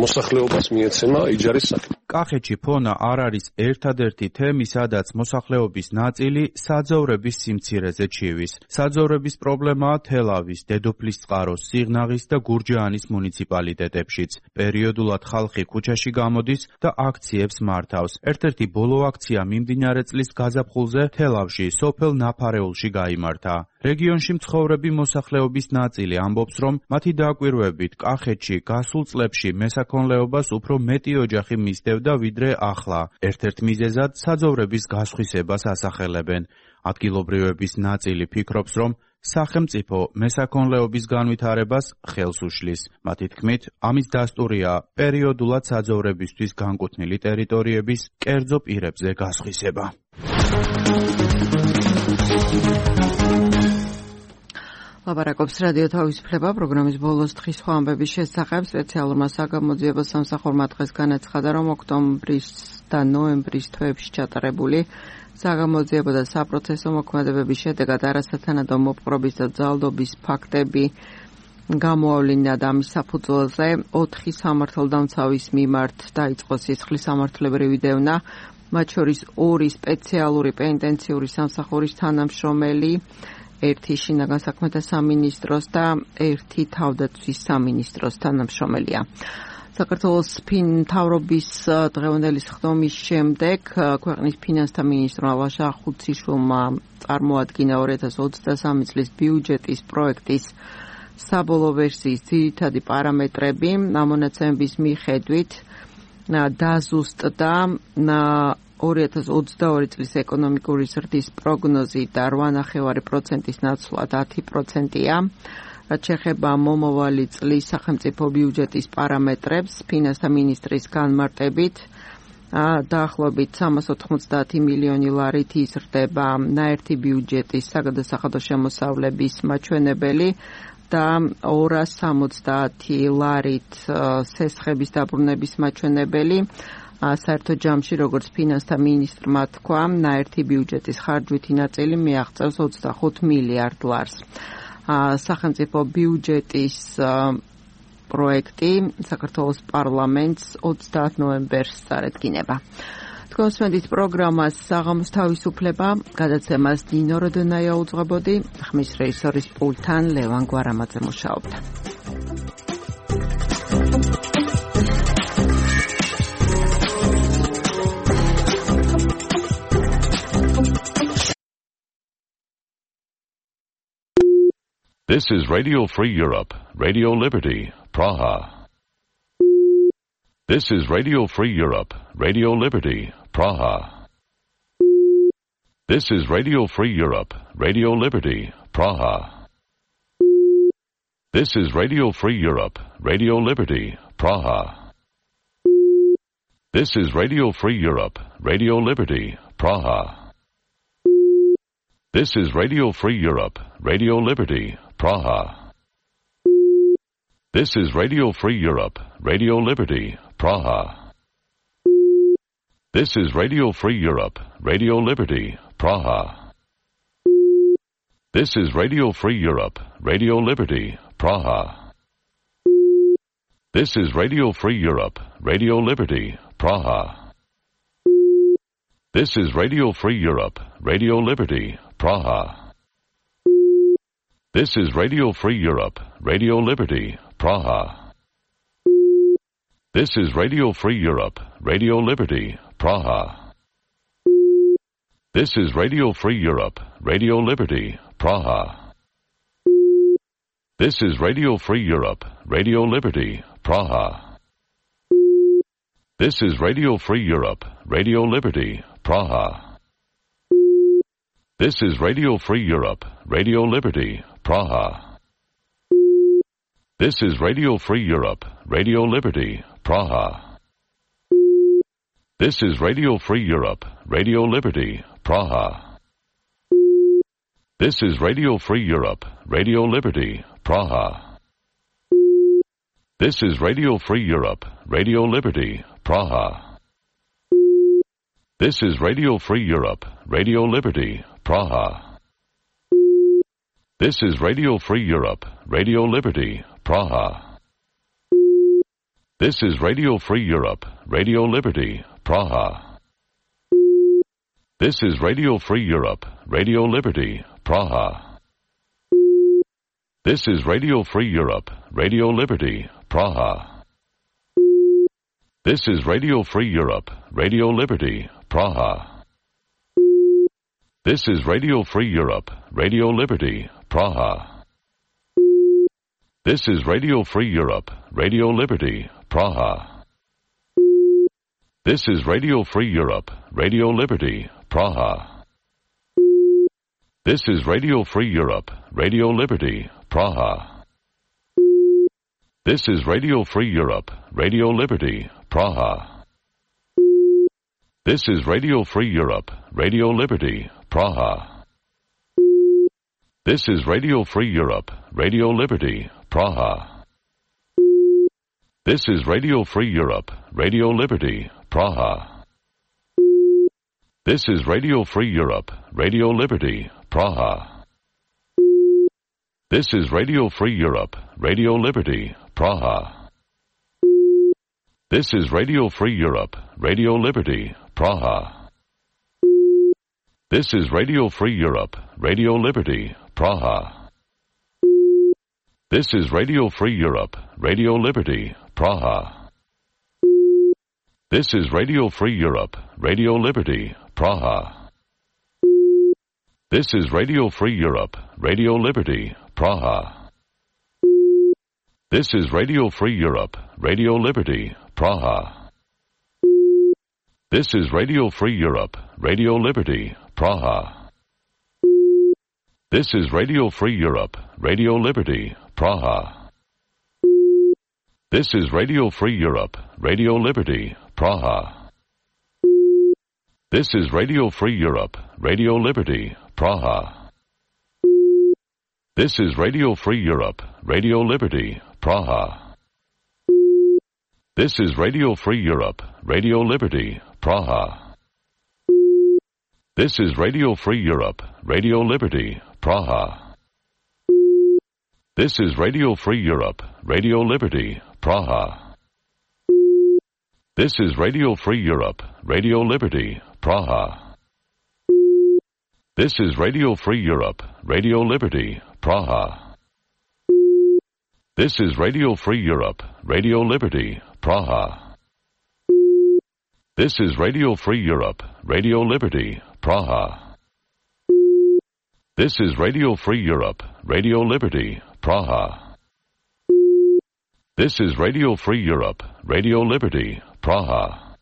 მოსახლეობას მიეცემა იჯარის სახით. კახეთში ფონა არ არის ერთადერთი თემი, სადაც მოსახლეობის ნაწილი საძოვრების სიმცირეზე ჩივის. საძოვრების პრობლემაა თელავის, დედოფლისწყაროს, სიღნაღის და გურჯაანის მუნიციპალიტეტებშიც. პერიოდულად ხალხი ქუჩაში გამოდის და აქციებს მართავს. ერთ-ერთი ბოლო აქცია მიმდინარე წლის გაზაფხულზე თელავში, სოფელ ნაფარეულში გაიმართა. რეგიონში მცხოვრები მოსახლეობის ნაწილი ამბობს, რომ მათი დაკვირვებით კახეთში გასულ წლებში მესაქონლეობას უფრო მეტი ოჯახი მისდევდა ვიდრე ახლა. ერთ-ერთ მიზეზად საძოვრების გასხვისებას ასახელებენ. ადგილობრივების ნაწილი ფიქრობს, რომ სახელმწიფო მესაქონლეობის განვითარებას ხელს უშლის. მათი თქმით, ამის დასტურია პერიოდულად საძოვრებისთვის განკუთვნილი ტერიტორიების კერძო პირებზე გასხვისება. ლაპარაკობს რადიო თავისუფლება პროგრამის ბოლოს დღის სხვა ამბების შესახებ. სპეციალურმა საგამოძიებო სამსახურმა დღეს განაცხადა, რომ ოქტომბრის და ნოემბრის თვეებში ჩატარებული საგამოძიებო და საპროცესო მოქმედებების შედეგად არასათანადო მოპყრობის და ძალდობის ფაქტები გამოავლინა და ამის საფუძველზე 4 სამართალდამცავის მიმართ დაიწყო სისხლის სამართლებრივი დევნა, მათ შორის 2 სპეციალური პენიტენციური სამსახურის თანამშრომელი, 1 შინაგან საქმეთა სამინისტროს და 1 თავდაცვის სამინისტროს თანამშრომელია. საქართველოს მთავრობის დღევანდელი სხდომის შემდეგ ქვეყნის ფინანსთა მინისტრმა ლაშა ხუციშვილმა წარმოადგინა 2023 წლის ბიუჯეტის პროექტის საბოლოო ვერსიის ძირითადი პარამეტრები. ამ მონაცემების მიხედვით დაზუსტდა 2022 წლის ეკონომიკური ზრდის პროგნოზი და 8.9%-ის ნაცვლად 10%-ია. რაც შეეხება მომავალი წლის სახელმწიფო ბიუჯეტის პარამეტრებს, ფინანსთა მინისტრის განმარტებით დაახლოებით 390 მილიონი ლარით იზრდება ნაერთი ბიუჯეტის საგადასახადო შემოსავლების მაჩვენებელი და 270 ლარით სესხების დაბრუნების მაჩვენებელი. საერთო ჯამში, როგორც ფინანსთა მინისტრმა თქვა, ნაერთი ბიუჯეტის ხარჯვითი ნაწილი მიაღწევს 25 მილიარდ ლარს. სახელმწიფო ბიუჯეტის პროექტი საქართველოს პარლამენტს 30 ნოემბერს წარედგინება. თქვენ უსმენთ პროგრამას საღამოს თავისუფლება, გადაცემას დინო როდონაია უძღვებოდი, ხმის რეჟისორის პულტთან ლევან გვარამაძე მუშაობდა. This is Radio Free Europe, Radio Liberty, Praha. This is Radio Free Europe, Radio Liberty, Praha. This is Radio Free Europe, Radio Liberty, Praha. This is Radio Free Europe, Radio Liberty, Praha. This is Radio Free Europe, Radio Liberty, Praha. This is Radio Free Europe, Radio Liberty, Praha. This is Radio Free Europe, Radio Liberty, Praha. This is Radio Free Europe, Radio Liberty, Praha. This is Radio Free Europe, Radio Liberty, Praha. This is Radio Free Europe, Radio Liberty, Praha. This is Radio Free Europe, Radio Liberty, Praha. This is Radio Free Europe, Radio Liberty, Praha. This is Radio Free Europe, Radio Liberty, Praha. This is Radio Free Europe, Radio Liberty, Praha. This is Radio Free Europe, Radio Liberty, Praha. This is Radio Free Europe, Radio Liberty, Praha. This is Radio Free Europe, Radio Liberty, Praha. This is Radio Free Europe, Radio Liberty, Praha. This is Radio Free Europe, Radio Liberty, Praha. This is Radio Free Europe, Radio Liberty, Praha. This is Radio Free Europe, Radio Liberty, Praha. This is Radio Free Europe, Radio Liberty, Praha. This is Radio Free Europe, Radio Liberty, Praha. This is Radio Free Europe, Radio Liberty, Praha. This is Radio Free Europe, Radio Liberty, Praha. This is Radio Free Europe, Radio Liberty, Praha. This is Radio Free Europe, Radio Liberty, Praha. This is Radio Free Europe, Radio Liberty, Praha. This is Radio Free Europe, Radio Liberty, Praha. This is Radio Free Europe, Radio Liberty, Praha. This is Radio Free Europe, Radio Liberty, Praha. This is Radio Free Europe, Radio Liberty, Praha. This is Radio Free Europe, Radio Liberty, Praha. This is Radio Free Europe, Radio Liberty, Praha. This is Radio Free Europe, Radio Liberty, Praha. This is Radio Free Europe, Radio Liberty, Praha. This is Radio Free Europe, Radio Liberty, Praha. This is Radio Free Europe, Radio Liberty, Praha. This is Radio Free Europe, Radio Liberty, Praha. This is Radio Free Europe, Radio Liberty, Praha. This is Radio Free Europe, Radio Liberty, Praha. This is Radio Free Europe, Radio Liberty, Praha. This is Radio Free Europe, Radio Liberty, Praha. This is Radio Free Europe, Radio Liberty, Praha. This is Radio Free Europe, Radio Liberty, Praha. This is Radio Free Europe, Radio Liberty, Praha. This is Radio Free Europe, Radio Liberty, Praha. This is Radio Free Europe, Radio Liberty, Praha. This is Radio Free Europe, Radio Liberty, Praha. This is Radio Free Europe, Radio Liberty, Praha. This is Radio Free Europe, Radio Liberty, Praha. This is Radio Free Europe, Radio Liberty, Praha. This is Radio Free Europe, Radio Liberty, Praha. This is Radio Free Europe, Radio Liberty, Praha. This is Radio Free Europe, Radio Liberty, Praha. This is Radio Free Europe, Radio Liberty, Praha. This is Radio Free Europe, Radio Liberty, Praha.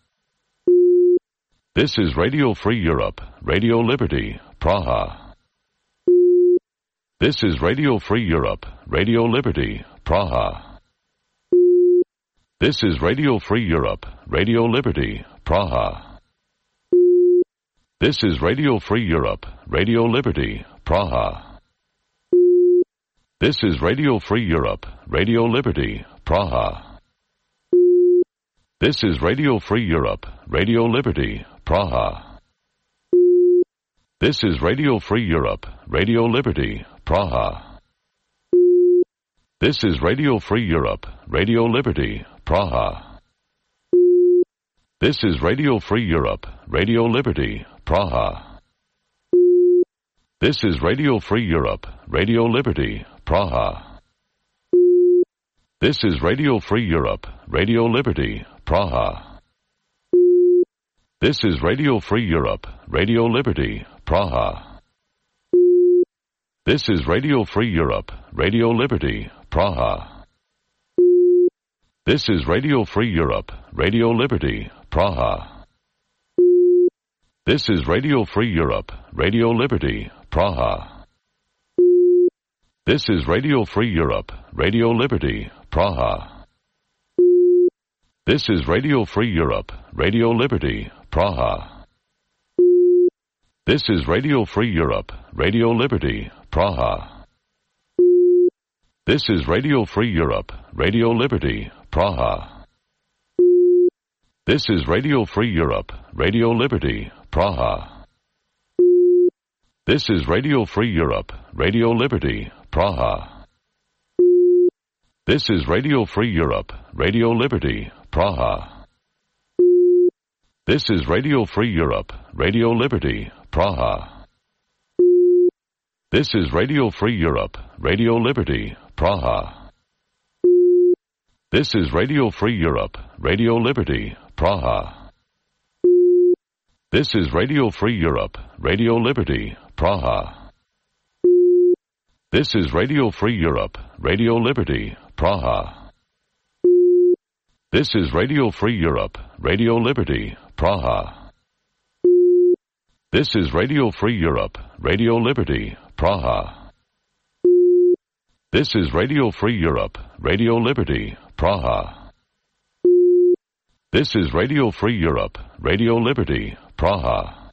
This is Radio Free Europe, Radio Liberty, Praha. This is Radio Free Europe, Radio Liberty, Praha. This is Radio Free Europe, Radio Liberty, Praha. This is Radio Free Europe, Radio Liberty, Praha. This is Radio Free Europe, Radio Liberty, Praha. This is Radio Free Europe, Radio Liberty, Praha. This is Radio Free Europe, Radio Liberty, Praha. This is Radio Free Europe, Radio Liberty, Praha. This is Radio Free Europe, Radio Liberty, Praha. This is Radio Free Europe, Radio Liberty, Praha. This is Radio Free Europe, Radio Liberty, Praha. This is Radio Free Europe, Radio Liberty, Praha. This is Radio Free Europe, Radio Liberty, Praha. This is Radio Free Europe, Radio Liberty, Praha. This is Radio Free Europe, Radio Liberty, Praha. This is Radio Free Europe, Radio Liberty, Praha. This is Radio Free Europe, Radio Liberty, Praha. This is Radio Free Europe, Radio Liberty, Praha. This is Radio Free Europe, Radio Liberty, Praha. This is Radio Free Europe, Radio Liberty, Praha. This is Radio Free Europe, Radio Liberty, Praha. This is Radio Free Europe, Radio Liberty, Praha. This is Radio Free Europe, Radio Liberty, Praha. This is Radio Free Europe, Radio Liberty, Praha. This is Radio Free Europe, Radio Liberty, Praha. This is Radio Free Europe, Radio Liberty, Praha. This is Radio Free Europe, Radio Liberty, Praha. This is Radio Free Europe, Radio Liberty, Praha. This is Radio Free Europe, Radio Liberty, Praha. This is Radio Free Europe, Radio Liberty, Praha. This is Radio Free Europe, Radio Liberty, Praha.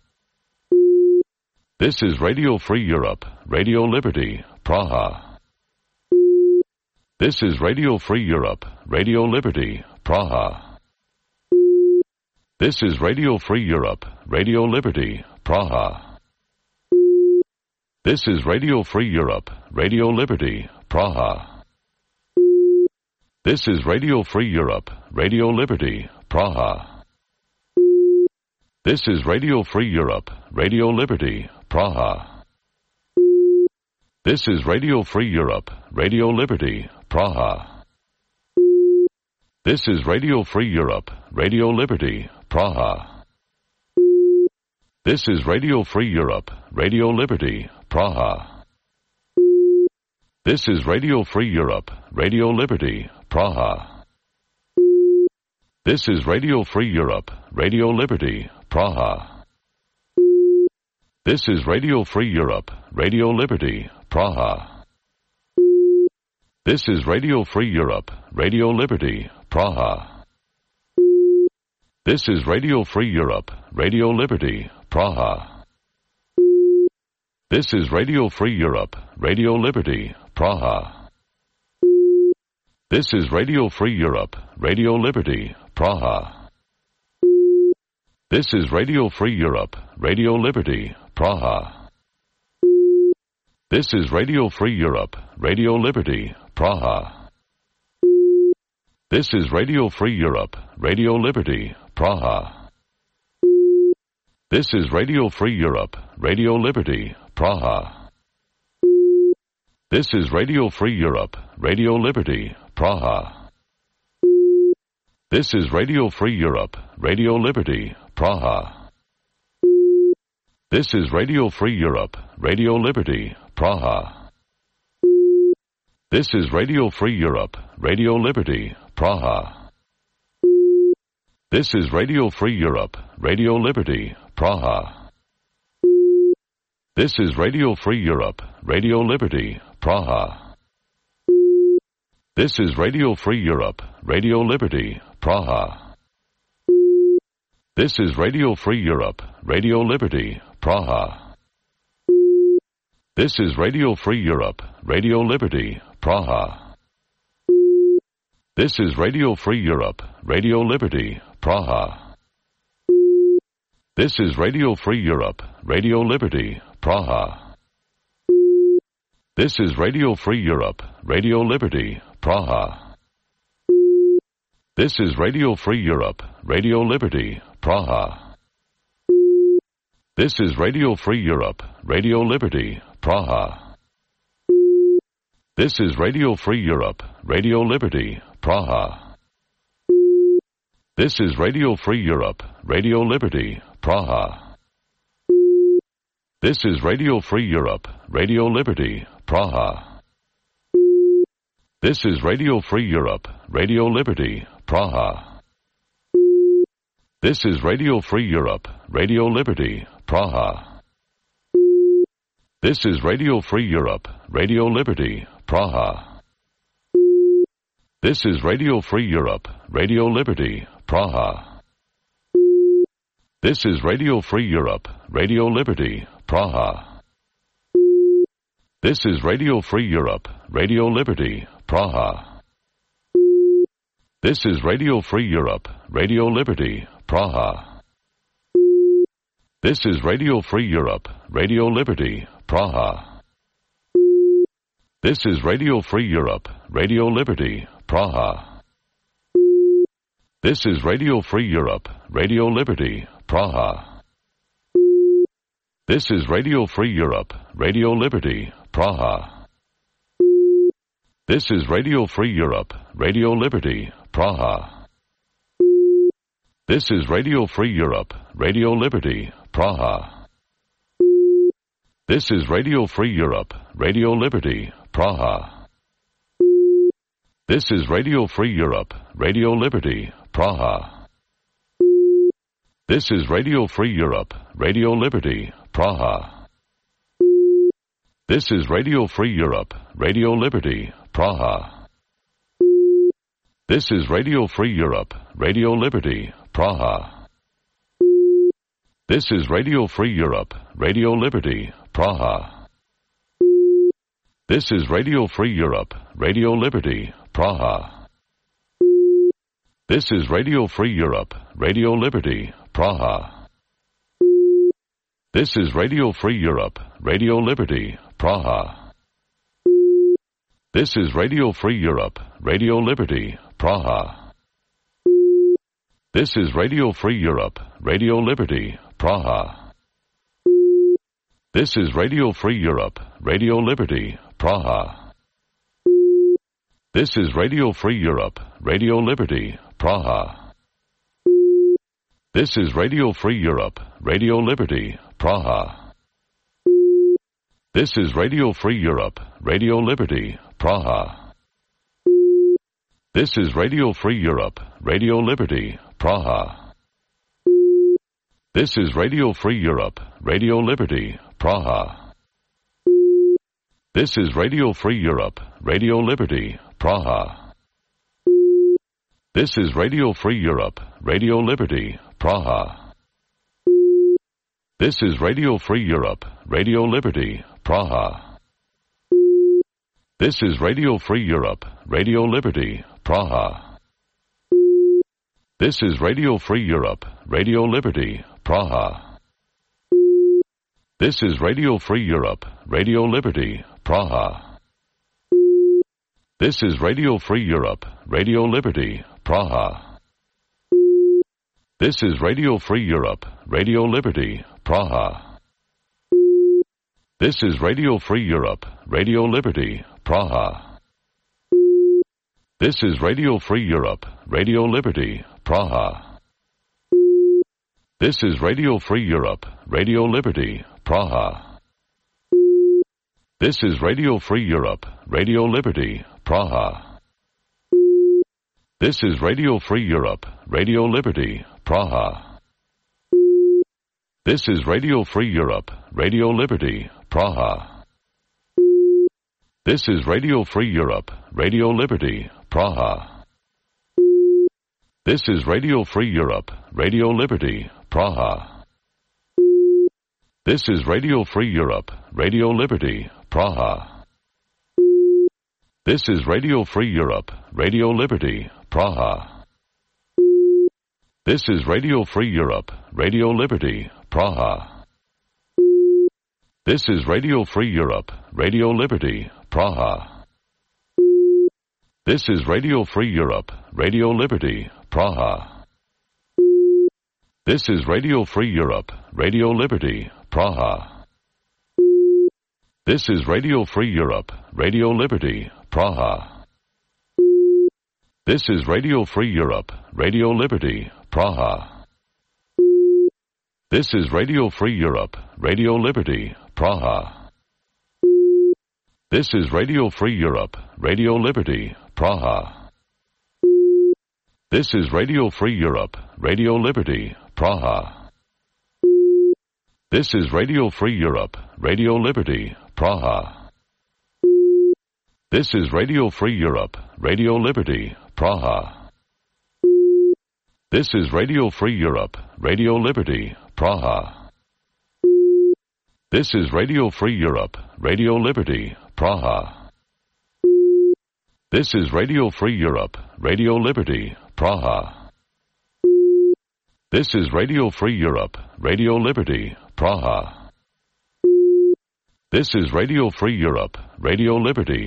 This is Radio Free Europe, Radio Liberty, Praha. This is Radio Free Europe, Radio Liberty, Praha. This is Radio Free Europe, Radio Liberty, Praha. This is Radio Free Europe, Radio Liberty, Praha. This is Radio Free Europe, Radio Liberty, Praha. This is Radio Free Europe, Radio Liberty, Praha. This is Radio Free Europe, Radio Liberty, Praha. This is Radio Free Europe, Radio Liberty, Praha. This is Radio Free Europe, Radio Liberty, Praha. This is Radio Free Europe, Radio Liberty, Praha. This is Radio Free Europe, Radio Liberty, Praha. This is Radio Free Europe, Radio Liberty, Praha. This is Radio Free Europe, Radio Liberty, Praha. This is Radio Free Europe, Radio Liberty, Praha. This is Radio Free Europe, Radio Liberty, Praha. This is Radio Free Europe, Radio Liberty, Praha. This is Radio Free Europe, Radio Liberty, Praha. This is Radio Free Europe, Radio Liberty, Praha. This is Radio Free Europe, Radio Liberty, Praha. This is Radio Free Europe, Radio Liberty, Praha. This is Radio Free Europe, Radio Liberty, Praha. This is Radio Free Europe, Radio Liberty, Praha. This is Radio Free Europe, Radio Liberty, Praha. This is Radio Free Europe, Radio Liberty, Praha. This is Radio Free Europe, Radio Liberty, Praha. This is Radio Free Europe, Radio Liberty, Praha. This is Radio Free Europe, Radio Liberty, Praha. This is Radio Free Europe, Radio Liberty, Praha. This is Radio Free Europe, Radio Liberty, Praha. This is Radio Free Europe, Radio Liberty, Praha. This is Radio Free Europe, Radio Liberty, Praha. This is Radio Free Europe, Radio Liberty, Praha. This is Radio Free Europe, Radio Liberty, Praha. This is Radio Free Europe, Radio Liberty, Praha. This is Radio Free Europe, Radio Liberty, Praha. This is Radio Free Europe, Radio Liberty, Praha. This is Radio Free Europe, Radio Liberty, Praha. This is Radio Free Europe, Radio Liberty, Praha. This is Radio Free Europe, Radio Liberty, Praha. This is Radio Free Europe, Radio Liberty, Praha. This is Radio Free Europe, Radio Liberty, Praha. This is Radio Free Europe, Radio Liberty, Praha. This is Radio Free Europe, Radio Liberty, Praha. This is Radio Free Europe, Radio Liberty, Praha. This is Radio Free Europe, Radio Liberty, Praha. This is Radio Free Europe, Radio Liberty, Praha. This is Radio Free Europe, Radio Liberty, Praha. This is Radio Free Europe, Radio Liberty, Praha. This is Radio Free Europe, Radio Liberty, Praha. This is Radio Free Europe, Radio Liberty, Praha. This is Radio Free Europe, Radio Liberty, Praha. This is Radio Free Europe, Radio Liberty, Praha. This is Radio Free Europe, Radio Liberty, Praha. This is Radio Free Europe, Radio Liberty, Praha. This is Radio Free Europe, Radio Liberty, Praha. This is Radio Free Europe, Radio Liberty, Praha. This is Radio Free Europe, Radio Liberty, Praha. This is Radio Free Europe, Radio Liberty, Praha. This is Radio Free Europe, Radio Liberty, Praha. This is Radio Free Europe, Radio Liberty, Praha. This is Radio Free Europe, Radio Liberty, Praha. This is Radio Free Europe, Radio Liberty, Praha. This is Radio Free Europe, Radio Liberty, Praha. This is Radio Free Europe, Radio Liberty, Praha. This is Radio Free Europe, Radio Liberty, Praha. This is Radio Free Europe, Radio Liberty, Praha. This is Radio Free Europe, Radio Liberty, Praha. This is Radio Free Europe, Radio Liberty, Praha. This is Radio Free Europe, Radio Liberty, Praha. This is Radio Free Europe, Radio Liberty, Praha. This is Radio Free Europe, Radio Liberty, Praha. This is Radio Free Europe, Radio Liberty, Praha. This is Radio Free Europe, Radio Liberty, Praha. This is Radio Free Europe, Radio Liberty, Praha. This is Radio Free Europe, Radio Liberty, Praha. This is Radio Free Europe, Radio Liberty, Praha. This is Radio Free Europe, Radio Liberty, Praha. This is Radio Free Europe, Radio Liberty, Praha. This is Radio Free Europe, Radio Liberty, Praha. This is Radio Free Europe, Radio Liberty, Praha. This is Radio Free Europe, Radio Liberty, Praha. This is Radio Free Europe, Radio Liberty, Praha. This is Radio Free Europe, Radio Liberty, Praha. This is Radio Free Europe, Radio Liberty, Praha. This is Radio Free Europe, Radio Liberty, Praha. This is Radio Free Europe, Radio Liberty, Praha. This is Radio Free Europe, Radio Liberty, Praha. This is Radio Free Europe, Radio Liberty, Praha. This is Radio Free Europe, Radio Liberty, Praha. This is Radio Free Europe, Radio Liberty, Praha. This is Radio Free Europe, Radio Liberty, Praha. This is Radio Free Europe, Radio Liberty, Praha. This is Radio Free Europe, Radio Liberty, Praha. This is Radio Free Europe, Radio Liberty, Praha. This is Radio Free Europe, Radio Liberty, Praha. This is Radio Free Europe, Radio Liberty, Praha. This is Radio Free Europe, Radio Liberty, Praha. This is Radio Free Europe, Radio Liberty, Praha. This is Radio Free Europe, Radio Liberty, Praha. This is Radio Free Europe, Radio Liberty, Praha. This is Radio Free Europe, Radio Liberty,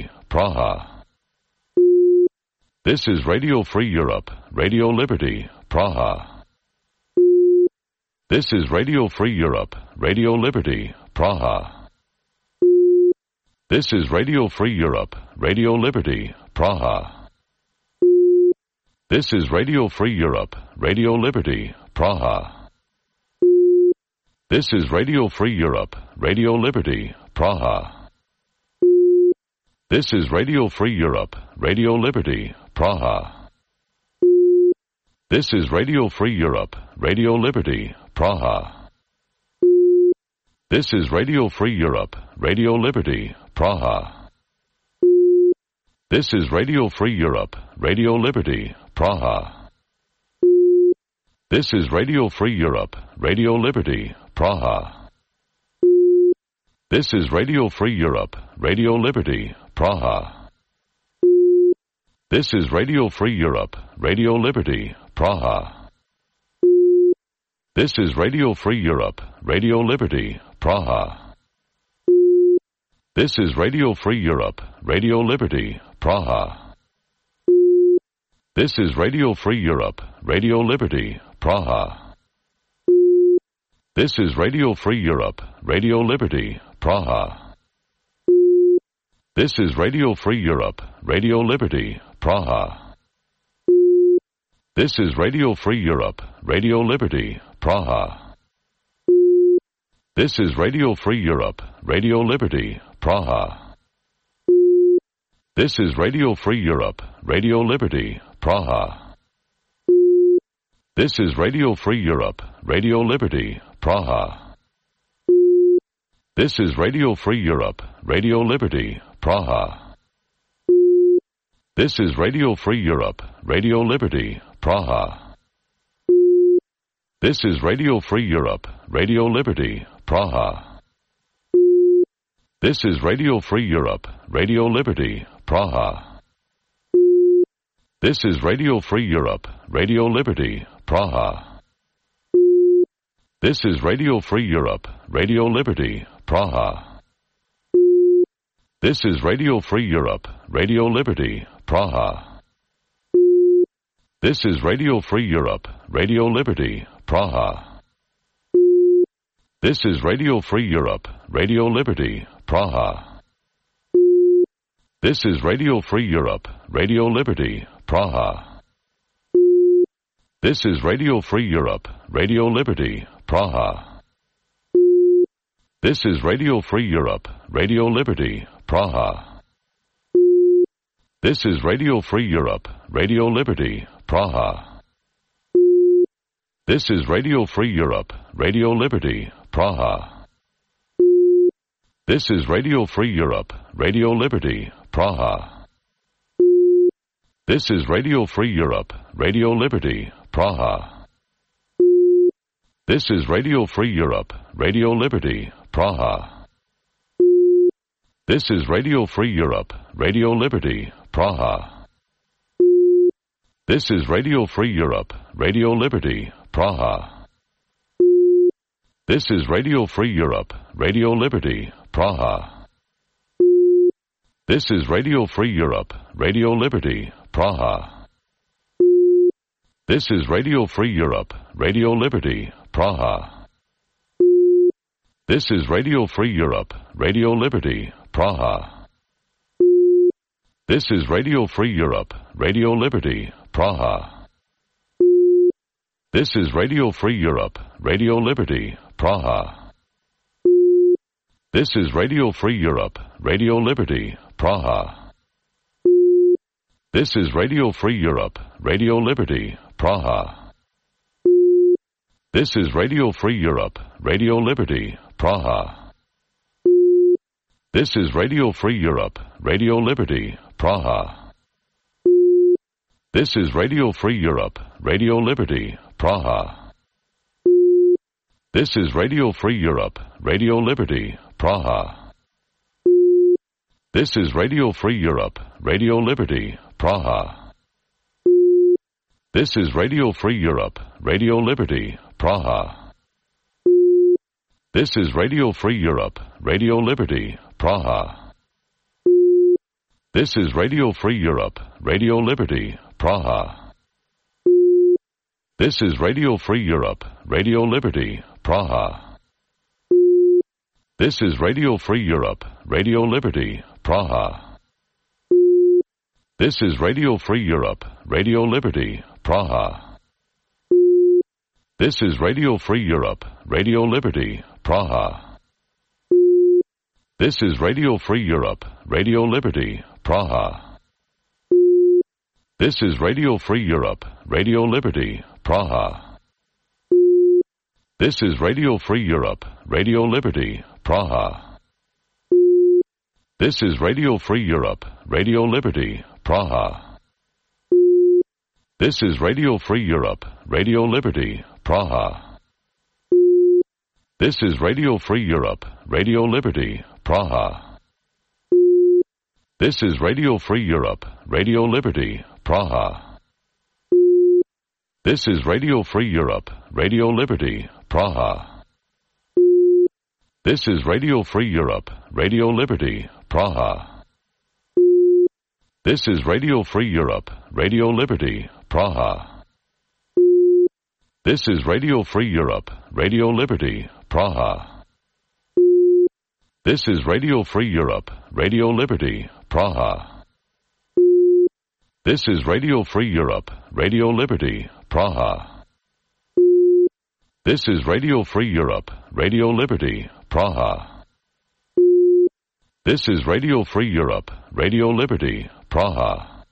Praha. This is Radio Free Europe, Radio Liberty, Praha. This is Radio Free Europe, Radio Liberty, Praha. This is Radio Free Europe, Radio Liberty, Praha. This is Radio Free Europe, Radio Liberty, Praha. This is Radio Free Europe, Radio Liberty, Praha. This is Radio Free Europe, Radio Liberty, Praha. This is Radio Free Europe, Radio Liberty, Praha. This is Radio Free Europe, Radio Liberty, Praha. This is Radio Free Europe, Radio Liberty, Praha. This is Radio Free Europe, Radio Liberty, Praha. This is Radio Free Europe, Radio Liberty, Praha. This is Radio Free Europe, Radio Liberty, Praha. This is Radio Free Europe, Radio Liberty, Praha. This is Radio Free Europe, Radio Liberty, Praha. This is Radio Free Europe, Radio Liberty, Praha. This is Radio Free Europe, Radio Liberty, Praha. This is Radio Free Europe, Radio Liberty, Praha. This is Radio Free Europe, Radio Liberty, Praha. This is Radio Free Europe, Radio Liberty, Praha. This is Radio Free Europe, Radio Liberty, Praha. This is Radio Free Europe, Radio Liberty, Praha. This is Radio Free Europe, Radio Liberty, Praha. This is Radio Free Europe, Radio Liberty, Praha. This is Radio Free Europe, Radio Liberty, Praha. This is Radio Free Europe, Radio Liberty, Praha. This is Radio Free Europe, Radio Liberty, Praha. This is Radio Free Europe, Radio Liberty, Praha. This is Radio Free Europe, Radio Liberty, Praha. This is Radio Free Europe, Radio Liberty, Praha. This is Radio Free Europe, Radio Liberty, Praha. This is Radio Free Europe, Radio Liberty, Praha. This is Radio Free Europe, Radio Liberty, Praha. This is Radio Free Europe, Radio Liberty, Praha. This is Radio Free Europe, Radio Liberty, Praha. This is Radio Free Europe, Radio Liberty, Praha. This is Radio Free Europe, Radio Liberty, Praha. This is Radio Free Europe, Radio Liberty, Praha. This is Radio Free Europe, Radio Liberty, Praha. This is Radio Free Europe, Radio Liberty, Praha. This is Radio Free Europe, Radio Liberty, Praha. This is Radio Free Europe, Radio Liberty, Praha. This is Radio Free Europe, Radio Liberty, Praha. This is Radio Free Europe, Radio Liberty, Praha. This is Radio Free Europe, Radio Liberty, Praha. This is Radio Free Europe, Radio Liberty, Praha. This is Radio Free Europe, Radio Liberty, Praha. This is Radio Free Europe, Radio Liberty, Praha. This is Radio Free Europe, Radio Liberty, Praha. This is Radio Free Europe, Radio Liberty, Praha. This is Radio Free Europe, Radio Liberty, Praha. This is Radio Free Europe, Radio Liberty, Praha. This is Radio Free Europe, Radio Liberty, Praha. This is Radio Free Europe, Radio Liberty, Praha. This is Radio Free Europe, Radio Liberty, Praha. This is Radio Free Europe, Radio Liberty, Praha. This is Radio Free Europe, Radio Liberty, Praha. This is Radio Free Europe, Radio Liberty, Praha. This is Radio Free Europe, Radio Liberty, Praha. This is Radio Free Europe, Radio Liberty, Praha. This is Radio Free Europe, Radio Liberty, Praha. This is Radio Free Europe, Radio Liberty, Praha. This is Radio Free Europe, Radio Liberty, Praha. This is Radio Free Europe, Radio Liberty, Praha. This is Radio Free Europe, Radio Liberty, Praha. This is Radio Free Europe, Radio Liberty, Praha. This is Radio Free Europe, Radio Liberty, Praha. This is Radio Free Europe, Radio Liberty, Praha. This is Radio Free Europe, Radio Liberty, Praha. This is Radio Free Europe, Radio Liberty, Praha. This is Radio Free Europe, Radio Liberty, Praha. This is Radio Free Europe, Radio Liberty, Praha. This is Radio Free Europe, Radio Liberty, Praha. This is Radio Free Europe, Radio Liberty, Praha. This is Radio Free Europe, Radio Liberty, Praha. This is Radio Free Europe, Radio Liberty, Praha.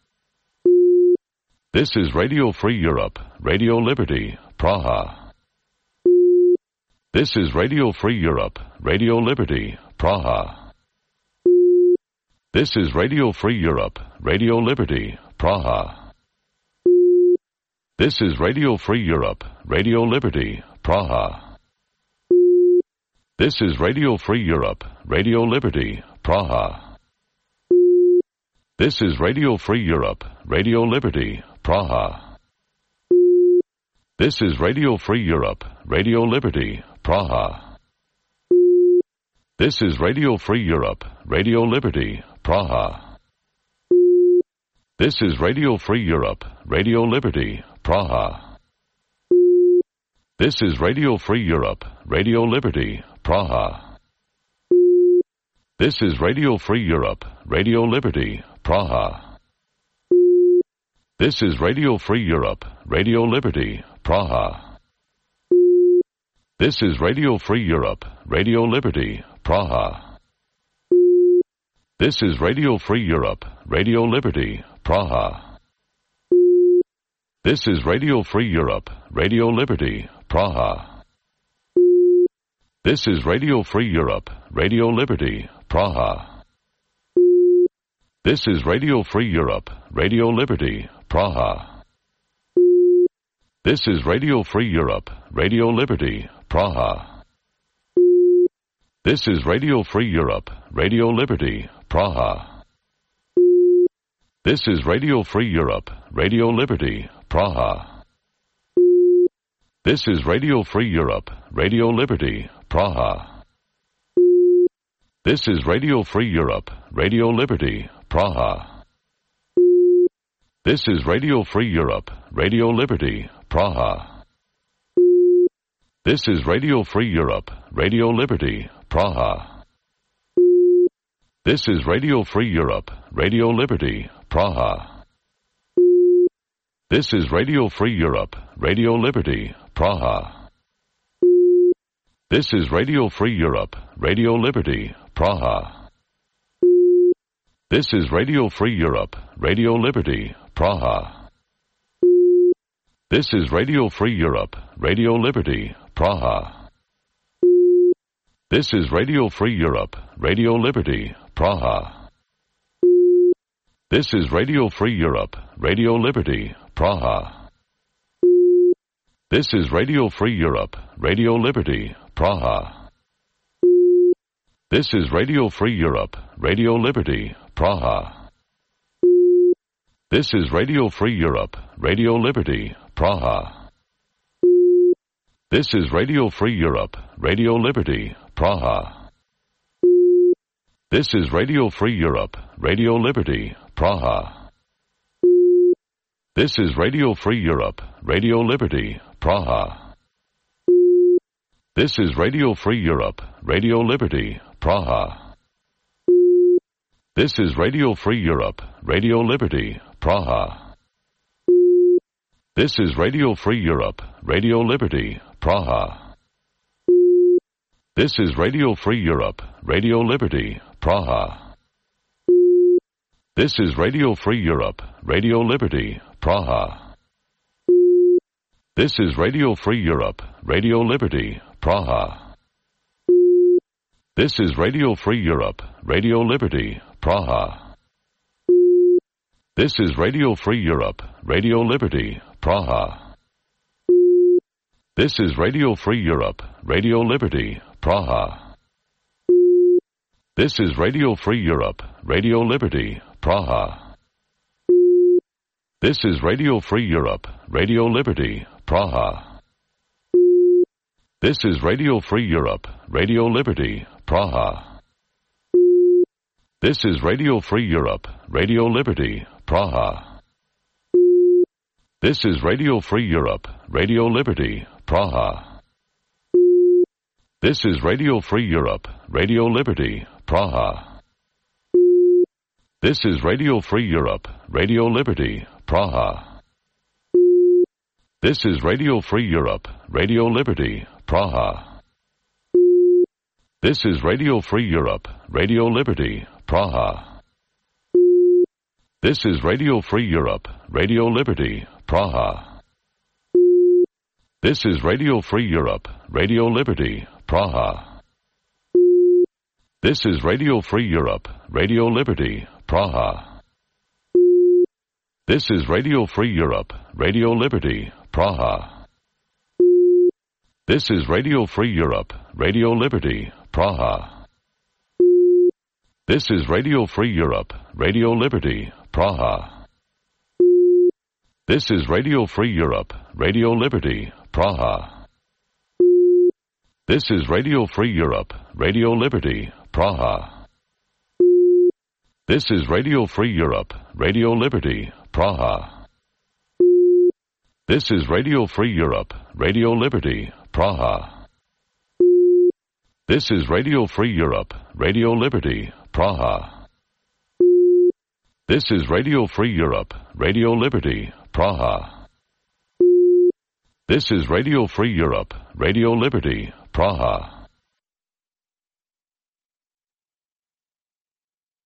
This is Radio Free Europe, Radio Liberty, Praha. This is Radio Free Europe, Radio Liberty, Praha. This is Radio Free Europe, Radio Liberty, Praha. This is Radio Free Europe, Radio Liberty, Praha. This is Radio Free Europe, Radio Liberty, Praha. This is Radio Free Europe, Radio Liberty, Praha. This is Radio Free Europe, Radio Liberty, Praha. This is Radio Free Europe, Radio Liberty, Praha. This is Radio Free Europe, Radio Liberty, Praha. This is Radio Free Europe, Radio Liberty, Praha. This is Radio Free Europe, Radio Liberty, Praha. This is Radio Free Europe, Radio Liberty, Praha. This is Radio Free Europe, Radio Liberty, Praha. This is Radio Free Europe, Radio Liberty, Praha. This is Radio Free Europe, Radio Liberty, Praha. This is Radio Free Europe, Radio Liberty, Praha. This is Radio Free Europe, Radio Liberty, Praha. This is Radio Free Europe, Radio Liberty, Praha. This is Radio Free Europe, Radio Liberty, Praha. This is Radio Free Europe, Radio Liberty, Praha. This is Radio Free Europe, Radio Liberty, Praha. This is Radio Free Europe, Radio Liberty, Praha. This is Radio Free Europe, Radio Liberty, Praha. This is Radio Free Europe, Radio Liberty, Praha. This is Radio Free Europe, Radio Liberty, Praha. This is Radio Free Europe, Radio Liberty, Praha. This is Radio Free Europe, Radio Liberty, Praha. This is Radio Free Europe, Radio Liberty, Praha. This is Radio Free Europe, Radio Liberty, Praha. This is Radio Free Europe, Radio Liberty, Praha. This is Radio Free Europe, Radio Liberty, Praha. This is Radio Free Europe, Radio Liberty, Praha. This is Radio Free Europe, Radio Liberty, Praha. This is Radio Free Europe, Radio Liberty, Praha. This is Radio Free Europe, Radio Liberty, Praha. This is Radio Free Europe, Radio Liberty, Praha. This is Radio Free Europe, Radio Liberty, Praha. This is Radio Free Europe, Radio Liberty, Praha. This is Radio Free Europe, Radio Liberty, Praha. This is Radio Free Europe, Radio Liberty, Praha. This is Radio Free Europe, Radio Liberty, Praha. This is Radio Free Europe, Radio Liberty, Praha. This is Radio Free Europe, Radio Liberty, Praha. This is Radio Free Europe, Radio Liberty, Praha. This is Radio Free Europe, Radio Liberty, Praha. This is Radio Free Europe, Radio Liberty, Praha. This is Radio Free Europe, Radio Liberty, Praha. This is Radio Free Europe, Radio Liberty, Praha. This is Radio Free Europe, Radio Liberty, Praha. This is Radio Free Europe, Radio Liberty, Praha. This is Radio Free Europe, Radio Liberty, Praha. This is Radio Free Europe, Radio Liberty, Praha. This is Radio Free Europe, Radio Liberty, Praha. This is Radio Free Europe, Radio Liberty, Praha. This is Radio Free Europe, Radio Liberty, Praha. This is Radio Free Europe, Radio Liberty, Praha. This is Radio Free Europe, Radio Liberty, Praha. This is Radio Free Europe, Radio Liberty, Praha. This is Radio Free Europe, Radio Liberty, Praha. This is Radio Free Europe, Radio Liberty, Praha. This is Radio Free Europe, Radio Liberty, Praha. This is Radio Free Europe, Radio Liberty, Praha. This is Radio Free Europe, Radio Liberty, Praha. This is Radio Free Europe, Radio Liberty, Praha. This is Radio Free Europe, Radio Liberty, Praha. This is Radio Free Europe, Radio Liberty, Praha. This is Radio Free Europe, Radio Liberty, Praha. This is Radio Free Europe, Radio Liberty, Praha.